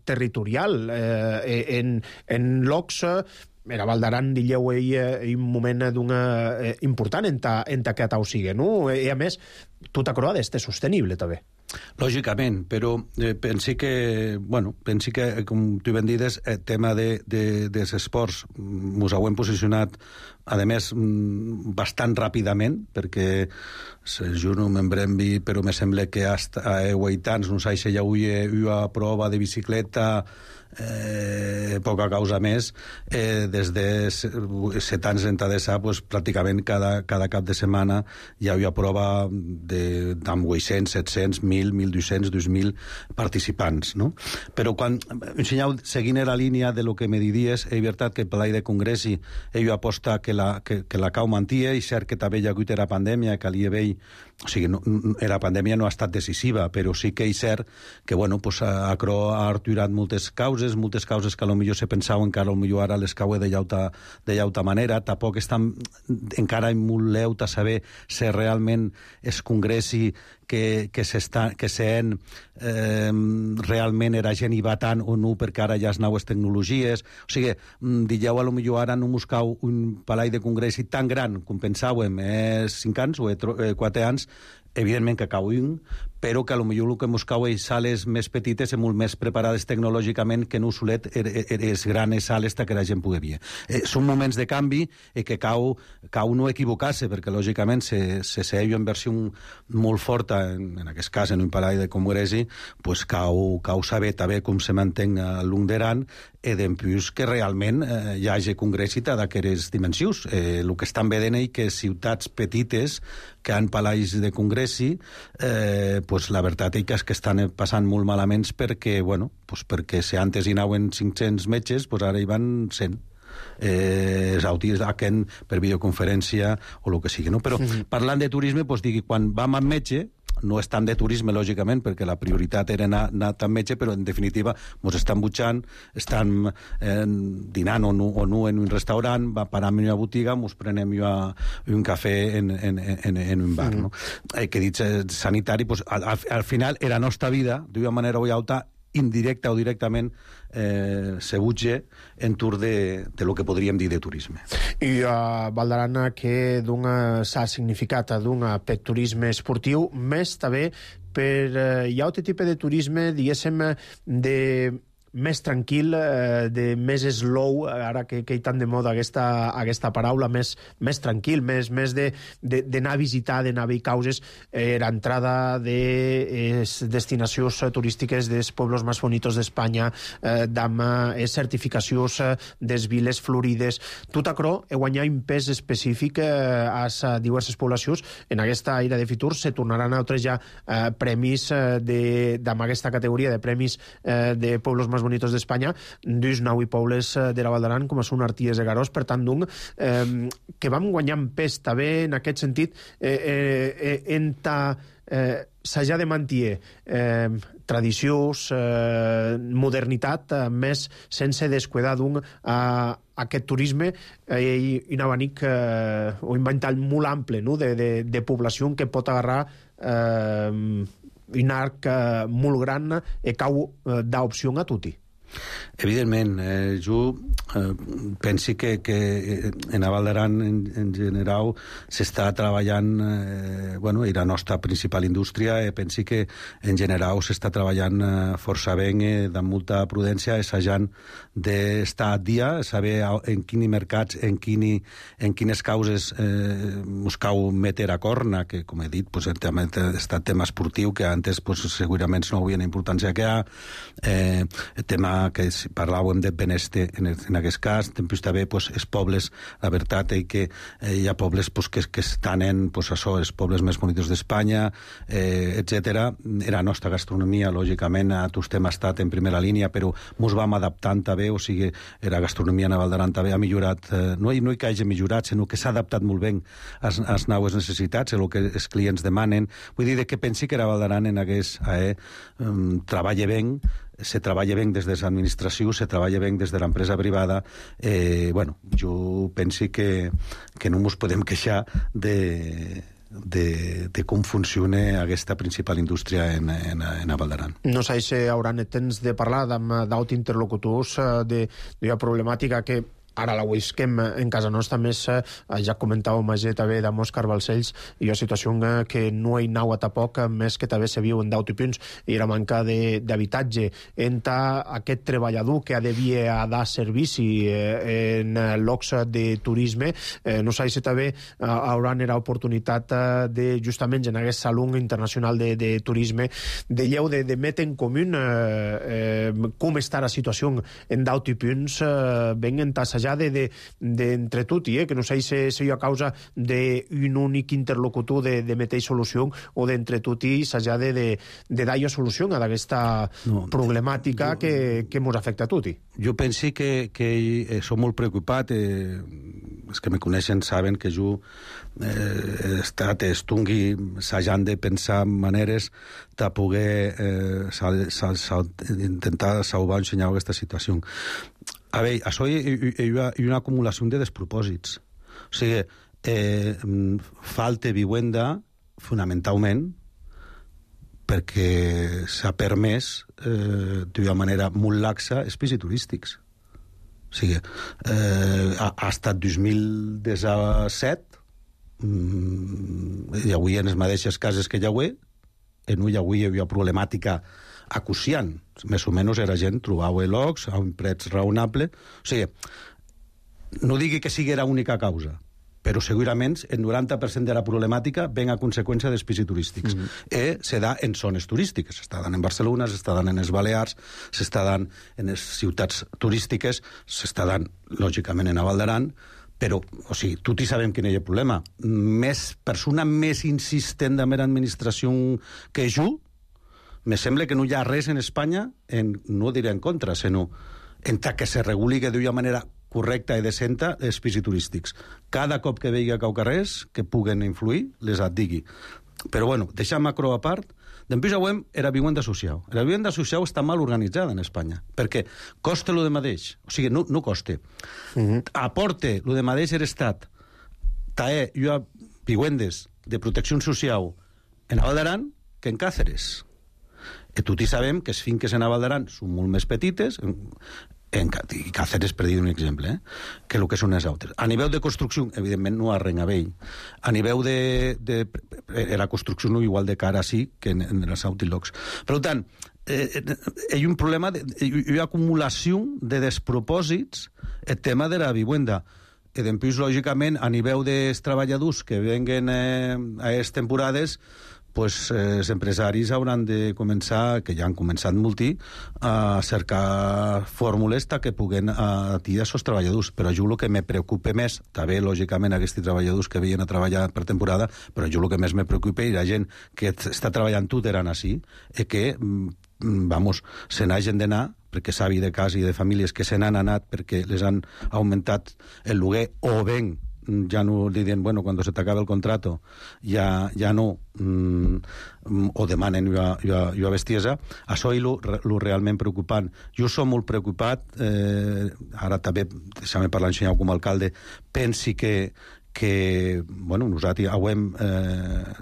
territorial en llocs era Val d'Aran, dilleu un moment important en aquest au sigue, no? I a més, tota croada és sostenible, també. Lògicament, però pensi que, com tu ben dides, el tema dels esports mos ho hem posicionat, a més, bastant ràpidament, perquè jo no m'embrembi, però me sembla que hasta a 8 anys no s'ha ja una prova de bicicleta poca causa més des de 7 anys d'ençà, pues, pràcticament cada cap de setmana hi havia prova amb 800, 700, 1.000, 1.200, 2.000 participants, no? Però quan ensenyau, seguint la línia de lo que me diries, és veritat que per de congressi ell aposta que la cau mantia, i cert que també hi ha hagut la pandèmia, que o sigui, la pandèmia no ha estat decisiva, però sí que és cert que, pues, ha arturat moltes causes que potser se pensaven que potser ara les cauen de llauta manera. Tampoc estan encara molt leut a saber si realment es congressi que se'n realment era gent i va tant o no, perquè ara ja es noves tecnologies. O sigui, digueu, potser ara no mos cau un palai de congressi tan gran com pensàvem 5 anys o 4 anys, evidentment que cau un, però que potser el que mos cau és sales més petites i molt més preparades tecnològicament que no solet les grans sales que la gent pugui veure. Són moments de canvi i que cau no equivocar-se, perquè lògicament se seia en versió molt forta, en aquest cas en un palai de congressi, pues cau saber també com se manté a long d'Aran, i d'empús que realment hi hagi congressi d'aquestes dimensions. El que estan veient és que ciutats petites que han palais de congressi, pues la veritat és que estan passant molt malament perquè, perquè si antes hi anaven 500 metges, pues ara hi van 100. Els autis per videoconferència o el que sigui, no? Però parlant de turisme, pues digui, quan vam amb metge, no és tant de turisme, lògicament, perquè la prioritat era anar amb metge, però en definitiva ens estan butxant, estan dinant o no en un restaurant, param en una botiga, ens prenem un cafè en un bar, no? Que dit sanitari, pues, al final, la nostra vida, d'una manera o altra, indirecta o directament, se butge en tour de lo que podríem dir de turisme. I Val d'Aran que s'ha significat per turisme esportiu, més també per hi ha altre tipus de turisme, diguéssim, més tranquil, de més slow, ara que hi tant de moda aquesta paraula, més tranquil, més d'anar a visitar, d'anar a veure causes, l'entrada de destinacions turístiques dels pobles més bonitos d'Espanya, amb certificacions des viles florides. Tot això guanyar un pes específic a diverses poblacions. En aquesta era de futur se tornaran a altres ja premis amb aquesta categoria de premis de pobles més bonitos d'Espanya, dus 9 pobles de la Val d'Aran, com són Arties de Garòs, per tant, que vam guanyar en pes també en aquest sentit, s'ha de mantenir tradicions, modernitat, més sense descuidar aquest turisme i un abanic o un ventall molt ample de població que pot agarrar un arc molt gran i cau d'opció a tutti. Evidentment, jo penso que en Val d'Aran en general s'està treballant, i la nostra principal indústria, penso que en general s'està treballant força bé, amb molta prudència, assajant d'estar a dia, saber en quins mercats, en quines causes us cau meter a corna, que com he dit, el tema tema esportiu, que antes segurament no havia la importància que hi ha, el tema que parlàvem de benestar en aquest cas, també els pobles, la veritat és que hi ha pobles que estan en els pobles més bonitos d'Espanya, etc. La nostra gastronomia, lògicament, a tots hem estat en primera línia, però ens vam adaptant també, o sigui, la gastronomia a Val d'Aran també ha millorat, no que hagi millorat, sinó que s'ha adaptat molt bé a les noves necessitats, a el que els clients demanen. Vull dir que pensi que la Val d'Aran en aquest treballa bé, se treballa bé des de l'administració, se treballa bé des de l'empresa privada. Jo penso que no ens podem queixar de com funciona aquesta principal indústria en Val d'Aran. No sé si hauran temps de parlar amb d'autres interlocutors d'una problemàtica que Ara la Wisquem en casa nostra, més ja comentàvem també amb Òscar Balcells, i la situació que no hi anava tampoc, més que també se viu en d'autopunts, i la manca d'habitatge. Entre aquest treballador que devia dar servici en llocs de turisme, no sé si també hauran l'oportunitat de, justament en aquest Saló Internacional de Turisme, de metre en comú com està la situació en d'autopunts, ben entassejar d'entre tot, que no sé si hi ha causa d'un únic interlocutor de meter solució o d'entre tot i s'ha de dar solució a aquesta problemàtica que ens afecta a tot. Jo penso que som molt preocupat. Els que me coneixen saben que jo he estat estungui assajant de pensar maneres de poder intentar salvar o ensenyar aquesta situació. A veure, això hi ha una acumulació de despropòsits. O sigui, falta vivenda fonamentalment perquè s'ha permès d'una manera molt laxa els pisos turístics. O sigui, ha estat 2017 i avui en les mateixes cases que hi ha avui, hi havia problemàtica acuciant. Més o menys era gent trobava llocs a un preu raonable. O sigui, no digui que sigui l'única causa, però segurament el 90% de la problemàtica ven a conseqüència dels pisos turístics. Se da en zones turístiques. S'està dant en Barcelona, s'està dant en les Balears, s'està dant en les ciutats turístiques, s'està dant, lògicament, en Val d'Aran, però, o sigui, tots hi sabem quin és el problema. Persona més insistent de mera administració que jo, me sembla que no hi ha res en Espanya, no diré en contra, sinó en que se reguli d'una manera correcta i decenta els pisos turístics. Cada cop que vegi cau carrers que puguen influir, les et digui. Però, bueno, deixant macro a part, després avui era vivenda social. La vivenda social està mal organitzada en Espanya, perquè costa lo de mateix, o sigui, no costa. Aporte lo de mateix l'Estat, hi ha vivendes de protecció social en Val d'Aran que en Càceres. I tots sabem que les finques en Val d'Aran són molt més petites, i Càceres, per dir un exemple, que el que són les altres. A nivell de construcció, evidentment, no arrenga vell. A nivell de la construcció no igual de cara sí que en els altres llocs. Per tant, hi ha un problema, hi ha acumulació de despropòsits el tema de la vivenda. I després, lògicament, a nivell dels treballadors que venguen a aquestes temporades, pues, els empresaris hauran de començar, que ja han començat moltí, a cercar fórmules que puguen atiar els treballadors. Però jo el que me preocupa més, també, lògicament, aquests treballadors que veien a treballar per temporada, però jo el que més me preocupa és la gent que està treballant tot eren així, i que, se n'hagin d'anar, perquè sabi de cas i de famílies que se n'han anat perquè les han augmentat el lloguer, o ben ja no li diuen, bueno, quan se t'acaba el contrato ja no, o demanen una bestiesa. Això és el realment preocupant. Jo som molt preocupat, ara també, deixa'm parlar en com a alcalde, pensi que bueno, nosaltres hauem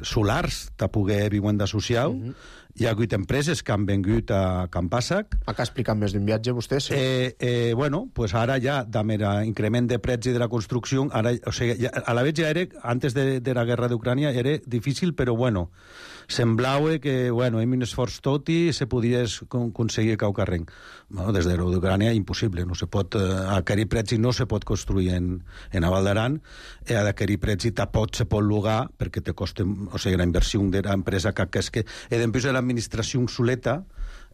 solars de poder vivenda social. Hi ha hagut empreses que han vengut a Can Pàssac. Acá explican més d'un viatge, vostès? Bueno, pues ara ja, amb l'increment de preus i de la construcció, ara, o sigui, a la vegada ja era, antes de la guerra d'Ucrània, era difícil, però bueno, semblava que, bueno, amb un esforç tot i se podia aconseguir cau carrer. Bueno, des de l'Ucrània, impossible. No se pot, a aquell preu no se pot construir en Val d'Aran, a aquell preu tampoc se pot llogar, perquè te costa, o sigui, la inversió de l'empresa que és que, després de l'administració obsoleta,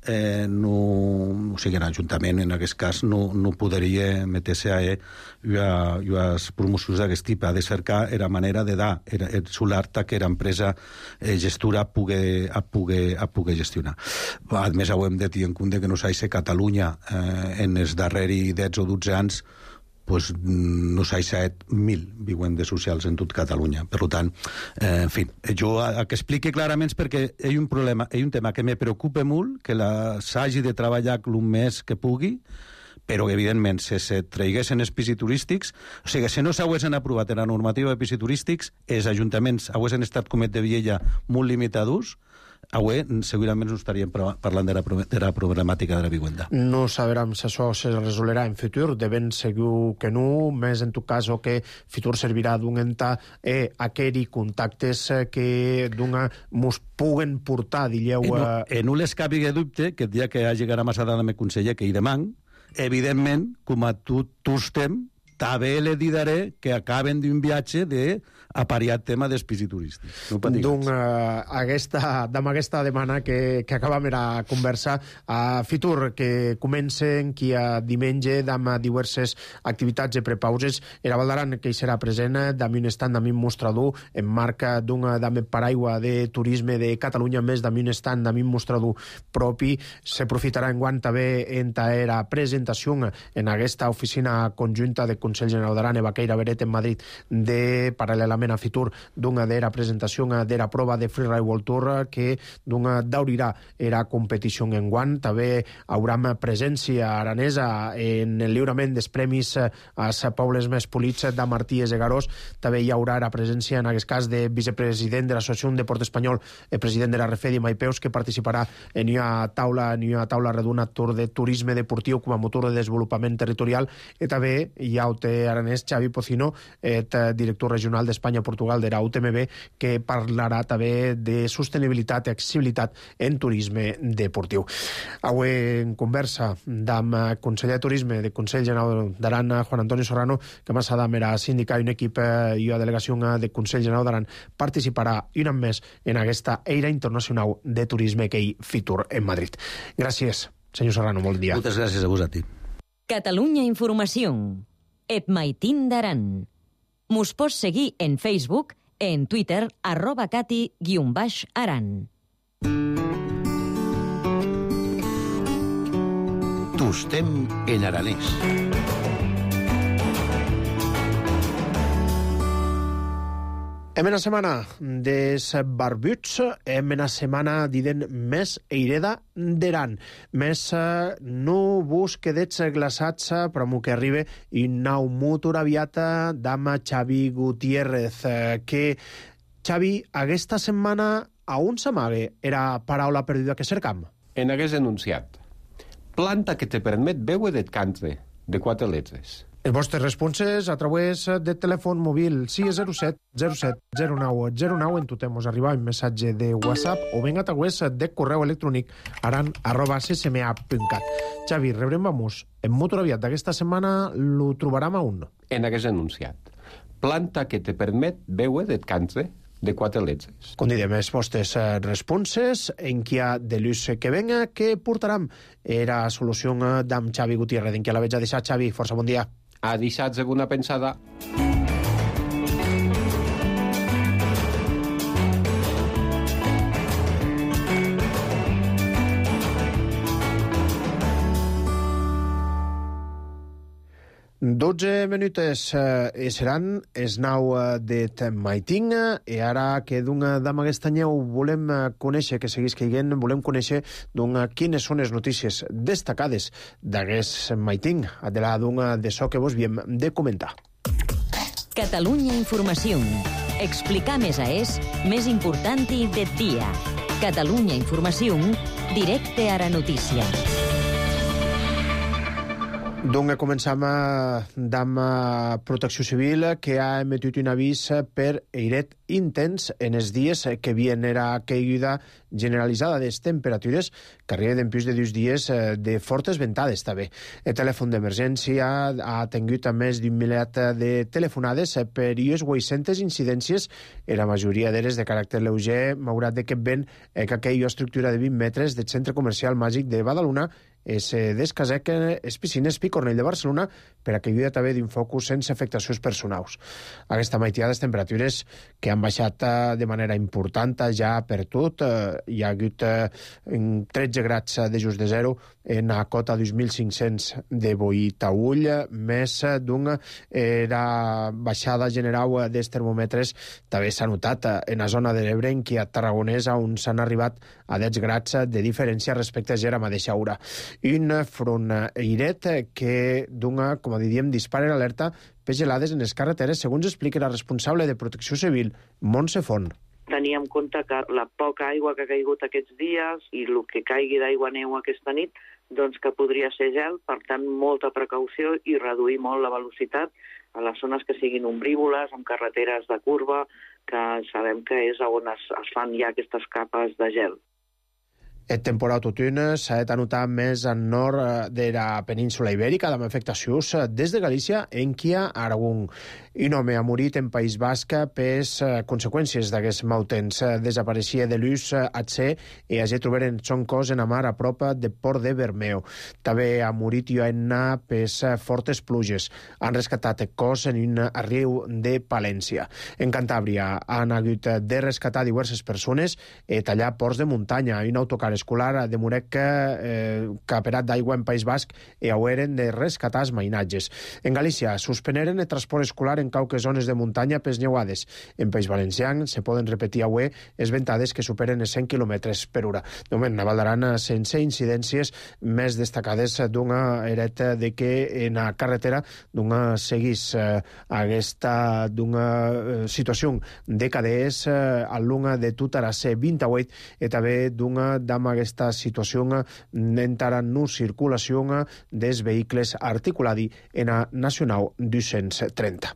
o sigui, l'Ajuntament en aquest cas no podria meter-se a les promocions d'aquest tipus. Ha de cercar la manera de dar el solar que l'empresa gestora pugui gestionar. A més, ho hem de tenir en compte que no s'ha Catalunya en els darrers 10 o 12 anys pues no s'ha 7.000 vivendes socials en tot Catalunya. Per tant, en fi, jo que expliqui clarament perquè hi ha un problema, hi ha un tema que me preocupa molt, que s'hagi de treballar el més que pugui, però evidentment, si se traiguessin els pisos turístics, o sigui, si no s'haguessin aprovat la normativa de pisos turístics, els ajuntaments haguessin estat, com de Viella, molt limitadors, avui segurament no estaríem parlant de la problemàtica de la vivenda. No sabrem si això se resolerà en futur, de ben segur que no, més en tot cas que futur servirà d'un enta aquells contactes que d'una mos puguen portar, dilleu... No les cabi de dubte que el dia que hagi gara massa dada me conseller que hi demà, evidentment, com a tu estem, també le diré que acaben d'un viatge d'apariat tema dels pisos turístics. No doncs aquesta demana que acabam la conversa a futur, que comencen qui a diumenge amb diverses activitats i prepauses. Era Valdaran que hi serà present amb un stand, amb un mostrador en marca d'un paraigua de turisme de Catalunya, més amb un stand, amb un mostrador propi. S'aprofitarà enguany també en la presentació en aquesta oficina conjunta de Consell General d'Aran i Baqueira Beret en Madrid paral·lelament a futur d'una de la presentació de la prova de Freeride World Tour que daurirà la competició en guant. També haurà presència aranesa en el lliurament dels premis als pobles més polits de Martí i Garós. També hi haurà la presència en aquest cas de vicepresident de l'Associació de Deport Espanyol, el president de la RFED i Maipeus, que participarà en una taula redona Tour de turisme deportiu com a motor de desenvolupament territorial. I també hi ha aranès Xavi Pocino, director regional d'Espanya-Portugal de la UTMB, que parlarà també de sostenibilitat i accessibilitat en turisme deportiu. Avui en conversa amb el conseller de Turisme del Consell General d'Aran, Juan Antonio Serrano, que més adam era sindicat i un equip i la delegació del Consell General d'Aran participarà un any més en aquesta Eira Internacional de Turisme que hi futur en Madrid. Gràcies, senyor Serrano, molt dia. Moltes gràcies a vos a ti. Catalunya Informació. Et Maitín d'Aran. Mos pots seguir en Facebook, en Twitter, @cati_aran. Tostem en aranès. Hem una setmana des barbuts, hem una setmana diden més eireda d'Aran, més no vos quedets glaçats però m'ho que arriba i nau motor aviata d'ama Xavi Gutiérrez, que Xavi, aquesta setmana a on s'amague era paraula perduda que cercam? En hagués enunciat. Planta que te permet veure de càncer, de 4 letres. Els vostres responses a través de telèfon mòbil 607 07 09 09 en totem us arriba un missatge de WhatsApp o ben a través de correu electrònic aran@ccma.cat. Xavi, rebrem vamos. En motor aviat d'aquesta setmana lo trobarem a un. En hagués enunciat. Planta que te permet veure de càncer, de 4 letres. Com direm, els vostres responses en qui ha de l'ús que venga, que portaram era solució d'am Xavi Gutiérrez, en qui la veig a deixar. Xavi, força bon dia. Ha deixat alguna pensada? Dotze minutes seran es nau de Maitín i ara que d'am aquest anyeu volem conèixer, que seguís caiguent, volem conèixer quines són les notícies destacades d'aquest Maitín, de la d'això que vos havíem de comentar. Catalunya Informació. Explicar més més important de dia. Catalunya Informació, directe a la notícia. Doncs començam amb Protecció Civil, que ha emetit un avís per airet intens en els dies que havien era caiguda generalitzada de les temperatures que arriben en plus de 2 dies de fortes ventades també. El telèfon d'emergència ha tingut més d'un milet de telefonades per 800 incidències, i la majoria d'elles de caràcter lleuger, malgrat que vent que aquella estructura de 20 metres del centre comercial màgic de Badalona es descasequen les piscines Picornell de Barcelona per a caiguda també d'un focus sense afectacions personals. Aquesta meitat de temperatures que han baixat de manera important ja per tot. Hi ha hagut 13 grads de just de zero en la cota 2.500 de Boí-Taüll, més d'una baixada general dels termòmetres també s'ha notat en la zona de l'Ebre, en què a Tarragonesa, on s'han arribat a 10 grads de diferència respecte a la mateixa hora. Un front airet que dona, com diríem, dispara l'alerta per gelades en les carreteres, segons explica la responsable de Protecció Civil, Montse Font. La tenir en compte que la poca aigua que ha caigut aquests dies i el que caigui d'aigua-neu aquesta nit, doncs que podria ser gel, per tant, molta precaució i reduir molt la velocitat a les zones que siguin ombrívoles, amb carreteres de curva, que sabem que és on es fan ja aquestes capes de gel. El temporal totun s'ha de notar més al nord de la península ibèrica, amb afectacions des de Galícia enquia Aragón. Un home ha morit en País Basc per conseqüències d'aquests mau temps. Desapareixia de l'ús atse i ja trobaren son cos en la mar a prop de Port de Bermeo. També ha morit Ioanna per fortes pluges. Han rescatat el cos en un riu de Palència. En Cantàbria han hagut de rescatar diverses persones i tallar ports de muntanya. Un autocar escolar de Murec caperat d'aigua en País Basc i haueren de rescatar els mainatges. En Galícia suspeneren el transport escolar en qualques zones de muntanya pels neuades. En País Valencià se poden repetir avui les ventades que superen els 100 km per hora. De moment, a Val d'Aran sense incidències més destacades d'una eret de que en la carretera d'una seguís aquesta d'una situació de cadès a l'una de tota la C28 i també d'una amb aquesta situació entrarà en circulació dels vehicles articulats en la Nacional 230.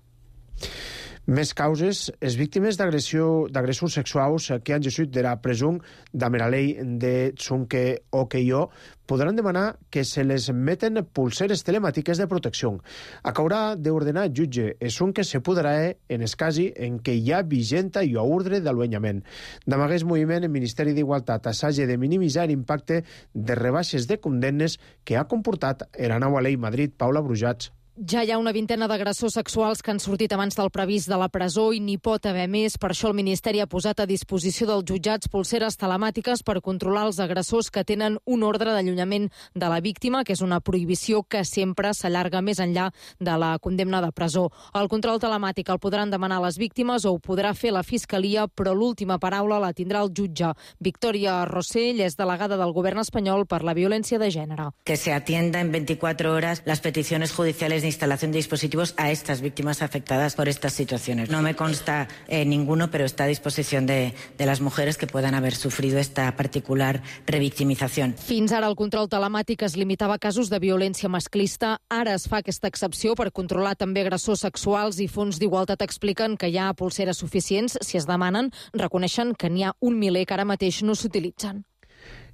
Més causes, les víctimes d'agressors sexuals que han gessut de la presó de la llei de Tsunke Okeyo podran demanar que se les meten pulseres telemàtiques de protecció. Acaurà d'ordenar el jutge que se podrà en el cas en què hi ha vigenta i ordre d'allunyament. D'amagar el moviment, el Ministeri d'Igualtat s'hagi de minimitzar l'impacte de rebaixes de condemnes que ha comportat la nova llei Madrid. Paula Brujats. Ja hi ha una vintena d'agressors sexuals que han sortit abans del previst de la presó i n'hi pot haver més. Per això el Ministeri ha posat a disposició dels jutjats pulseres telemàtiques per controlar els agressors que tenen un ordre d'allunyament de la víctima, que és una prohibició que sempre s'allarga més enllà de la condemna de presó. El control telemàtic el podran demanar les víctimes o ho podrà fer la Fiscalia, però l'última paraula la tindrà el jutge. Victoria Rossell és delegada del govern espanyol per la violència de gènere. Que se atienda en 24 horas las peticiones judiciales de instalación de dispositivos a estas víctimas afectadas por estas situaciones. No me consta ninguno, pero está a disposición de las mujeres que puedan haber sufrido esta particular revictimización. Fins ara el control telemàtic es limitava a casos de violència masclista. Ara es fa aquesta excepció per controlar també agressors sexuals i fons d'Igualtat expliquen que hi ha pulseres suficients si es demanen. Reconeixen que n'hi ha un miler que ara mateix no s'utilitzen.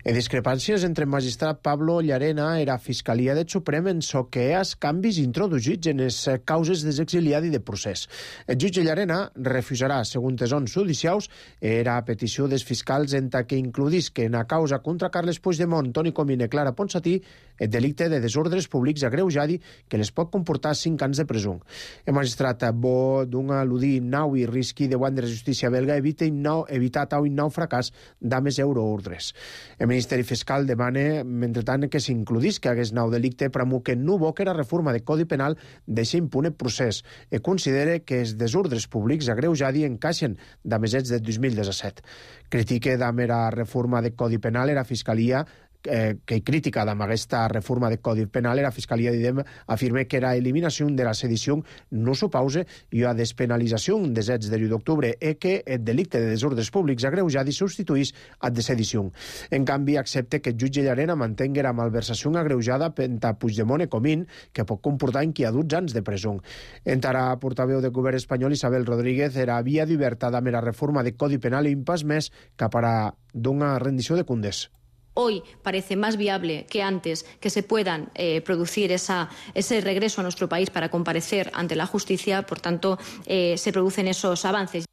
Discrepàncies entre el magistrat Pablo Llarena i la Fiscalia del Suprem en so que els canvis introduïts en les causes desexiliat i de procés. El jutge Llarena refusarà, segons ons judicials, era petició dels fiscals en que includís que en la causa contra Carles Puigdemont, Toni Comín i Clara Ponsatí el delicte de desordres públics agreujadi que les pot comportar 5 anys de presó. El magistrat bo d'un al·ludir nau i risqui davant de la justícia belga evitar tal nou fracàs d'ames euroordres. El Ministeri Fiscal demana, mentrestant, que s'includís que hagués nou delicte premu que no bo que la reforma de Codi Penal deixa impune procés i considera que els desordres públics agreujadi encaixen d'amesets de 2017. Critica d'ame la reforma de Codi Penal i la Fiscalia que crítica amb aquesta reforma de Codi Penal la Fiscalia afirma que la eliminació de la sedició no s'opause i la despenalització dels fets de l'1 d'octubre i que el delicte de desordres públics agreujadi substituís al de sedició. En canvi, accepta que el jutge Llarena mantingui la malversació agreujada per Puigdemont i Comín, que pot comportar inqui a 12 anys de presó. Entrarà portaveu del govern espanyol Isabel Rodríguez era via d'oberta amb la reforma de Codi Penal i un pas més cap a d'una rendició de comptes. Hoy parece más viable que antes que se puedan producir ese regreso a nuestro país para comparecer ante la justicia, por tanto, se producen esos avances.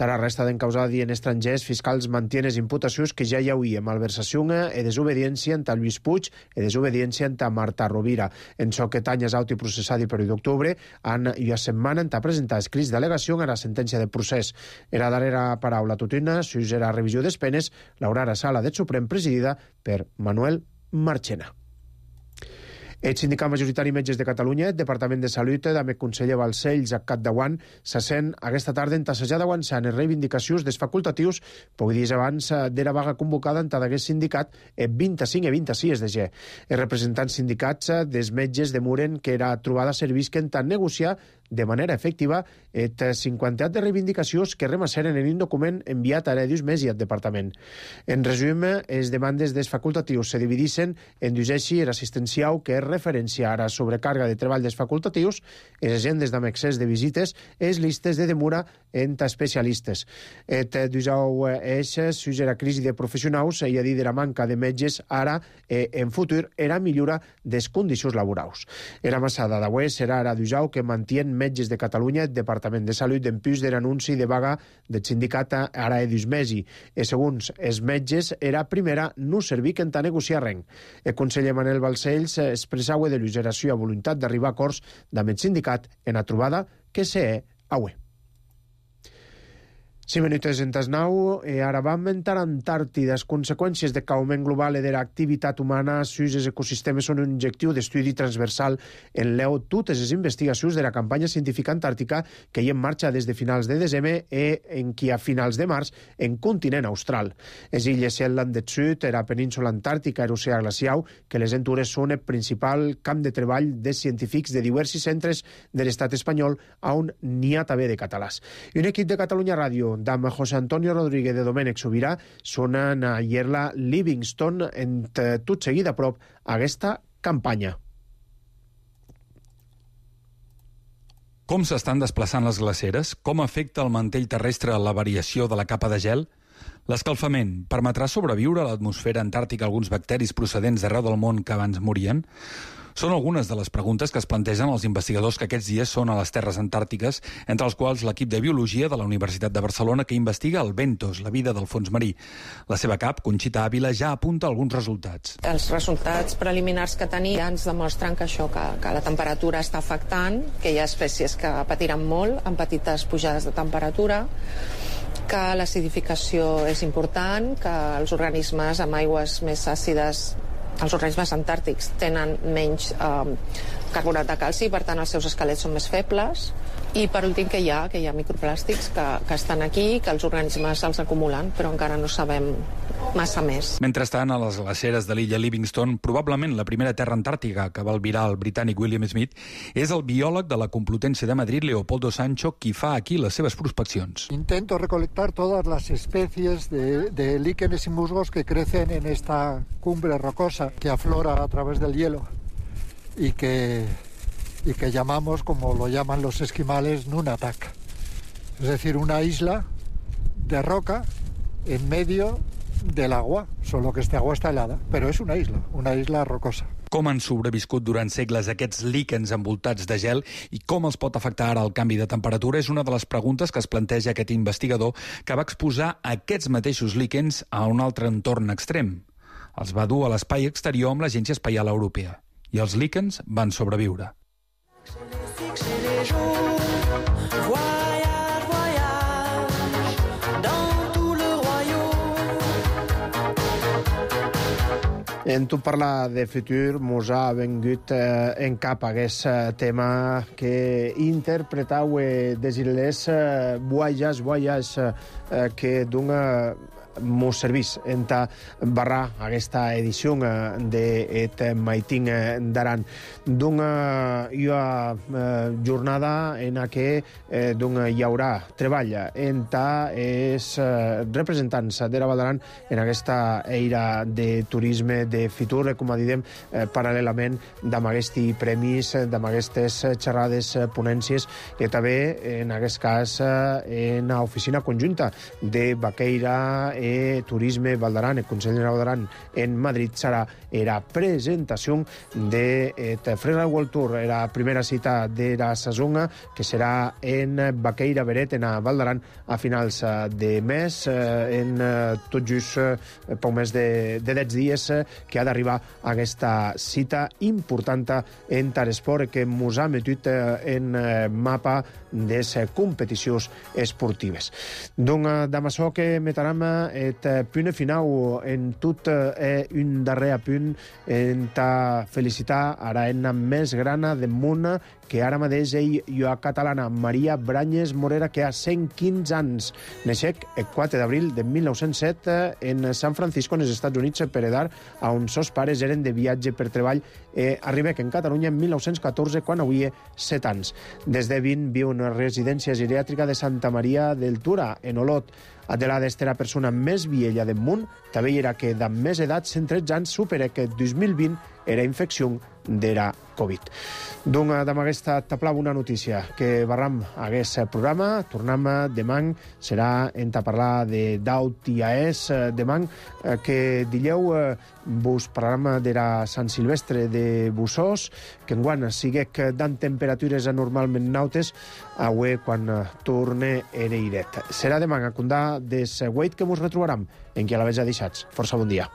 La resta d'encausats en estrangers fiscals mantiene les imputacions que ja hi havia malversació i desobediència entre Lluís Puig i desobediència entre Marta Rovira. En so que Tanyes Auti processat per 1 d'octubre han i a setmana han presentat escrits d'al·legació a la sentència de procés. Era darrera paraula tutina, sus la revisió des penes, l'haurà sala del Suprem presidida per Manuel Marchena. El sindicat majoritari Metges de Catalunya, el Departament de Salut, amb el conseller Balcells a capdavant, se sent aquesta tarda entassejada avançant en reivindicacions dels facultatius, pocs dies abans de la vaga convocada entre d'aquest sindicat el 25 i 26 de gener. Els representants sindicats dels metges demuren que era trobada servisquen tant negociar de manera efectiva et 50 de reivindicacions que remasseren en un document enviat a Dius Mesi al departament. En resum, les demandes dels facultatius se dividissin en dos eixos assistencial, que és referència a la sobrecarga de treball dels facultatius, les agendes amb excés de visites, les listes de demora entre especialistes. Et dos eixos sus la crisi de professionals i a dir de la manca de metges ara en futur era millora des condicions laborals. Era massada d'avui serà ara d'usau que mantien metges de Catalunya el Departament de Salut en plus de l'anunci de vaga del sindicat ara Dius Mesi. I segons els metges, era primera no servir que a negociar res. El conseller Manel Balcells expressava de l'useració a voluntat d'arribar a acords amb el sindicat en la trobada que se avui. 5 minuts en tas 9, i ara vam entrar a Antàrtida. Les conseqüències de l'augment global i de l'activitat humana sus els ecosistemes són un objectiu d'estudi transversal en l'eu totes les investigacions de la campanya científica antàrtica que hi en marxa des de finals de desembre i en qui a finals de març en continent austral. Les illes Shetland del Sud, la península antàrtica i l'oceà glacial, que les entures són el principal camp de treball de científics de diversos centres de l'estat espanyol, on n'hi ha també de catalans. I un equip de Catalunya Ràdio amb José Antonio Rodríguez de Domènec Sobirà sonen a Yerla Livingston en tot seguit a prop aquesta campanya. Com s'estan desplaçant les glaceres? Com afecta el mantell terrestre la variació de la capa de gel? L'escalfament permetrà sobreviure a l'atmosfera antàrtica alguns bacteris procedents d'arreu del món que abans morien? Són algunes de les preguntes que es plantegen els investigadors que aquests dies són a les terres antàrtiques, entre els quals l'equip de Biologia de la Universitat de Barcelona que investiga el bentos, la vida del fons marí. La seva cap, Conxita Ávila, ja apunta alguns resultats. Els resultats preliminars que tenim ja ens demostren que això, que la temperatura està afectant, que hi ha espècies que patiran molt amb petites pujades de temperatura, que l'acidificació és important, que els organismes amb aigües més àcides, els organismes antàrtics, tenen menys carbonat de calci, per tant els seus esquelets són més febles, i per últim que hi ha microplàstics que estan aquí, que els organismes els acumulen, però encara no sabem massa més. Mentrestant, a les glaceres de l'illa Livingston, probablement la primera terra antàrtica que va albirar el britànic William Smith, és el biòleg de la Complutense de Madrid, Leopoldo Sancho, qui fa aquí les seves prospeccions. Intento recolectar todas las especies de líquenes y musgos que crecen en esta cumbre rocosa que aflora a través del hielo y que llamamos, como lo llaman los esquimales, Nunatak. Es decir, una isla de roca en medio del agua, solo que esta agua está helada, pero es una isla rocosa. Com han sobreviscut durant segles aquests líquens envoltats de gel i com els pot afectar ara el canvi de temperatura és una de les preguntes que es planteja aquest investigador que va exposar aquests mateixos líquens a un altre entorn extrem. Els va dur a l'espai exterior amb l'Agència Espacial Europea i els líquens van sobreviure. En tu parlar de futur, mos ha vengut en cap aquest tema que interpretau des les voyage que dona mos servís en barrar aquesta edició de Maitín d'Aran. D'una jornada en què hi haurà treball en els representants de la Val d'Aran en aquesta eira de turisme de futur, com a diem, paral·lelament amb aquests premis, amb aquestes xerrades, ponències, i també, en aquest cas, en l'oficina conjunta de Baqueira Turisme Val d'Aran, el Consell de Val d'Aran en Madrid, serà la presentació de Freeride World Tour, la primera cita de la saison, que serà en Baqueira Beret, en Val d'Aran, a finals de mes, en tot just poc més de 10 dies, que ha d'arribar a aquesta cita important en l'esport que mos ha metut en mapa de les competicions esportives. Donc, damb açò que metarem et punt final en tot un darrer punt en ta felicitar a la eina més grana del món que ara mateix ell i a catalana Maria Branyes Morera, que ha 115 anys. Neixec el 4 d'abril de 1907 en San Francisco, en els Estats Units, per edar, on sos pares eren de viatge per treball. Arriba en Catalunya en 1914, quan havia 7 anys. Des de 20 viu en una residència geriàtrica de Santa Maria del Tura, en Olot. Adelada és la persona més viella del món, també era que de més edat, 113 anys, supera que 2020 era infecció d'era Covid. Doncs amb aquesta taplava una notícia que barram aquest programa. Tornem demà, serà en parlar de Daut i Aès demà, que dileu vos parlarem d'era Sant Silvestre de Bussós, que enguany siguec dan temperatures anormalment nautes, avui quan torne ereiret. Serà demà a condar des Wait que mos retrobaram en qui a la vez ha deixats. Força bon dia.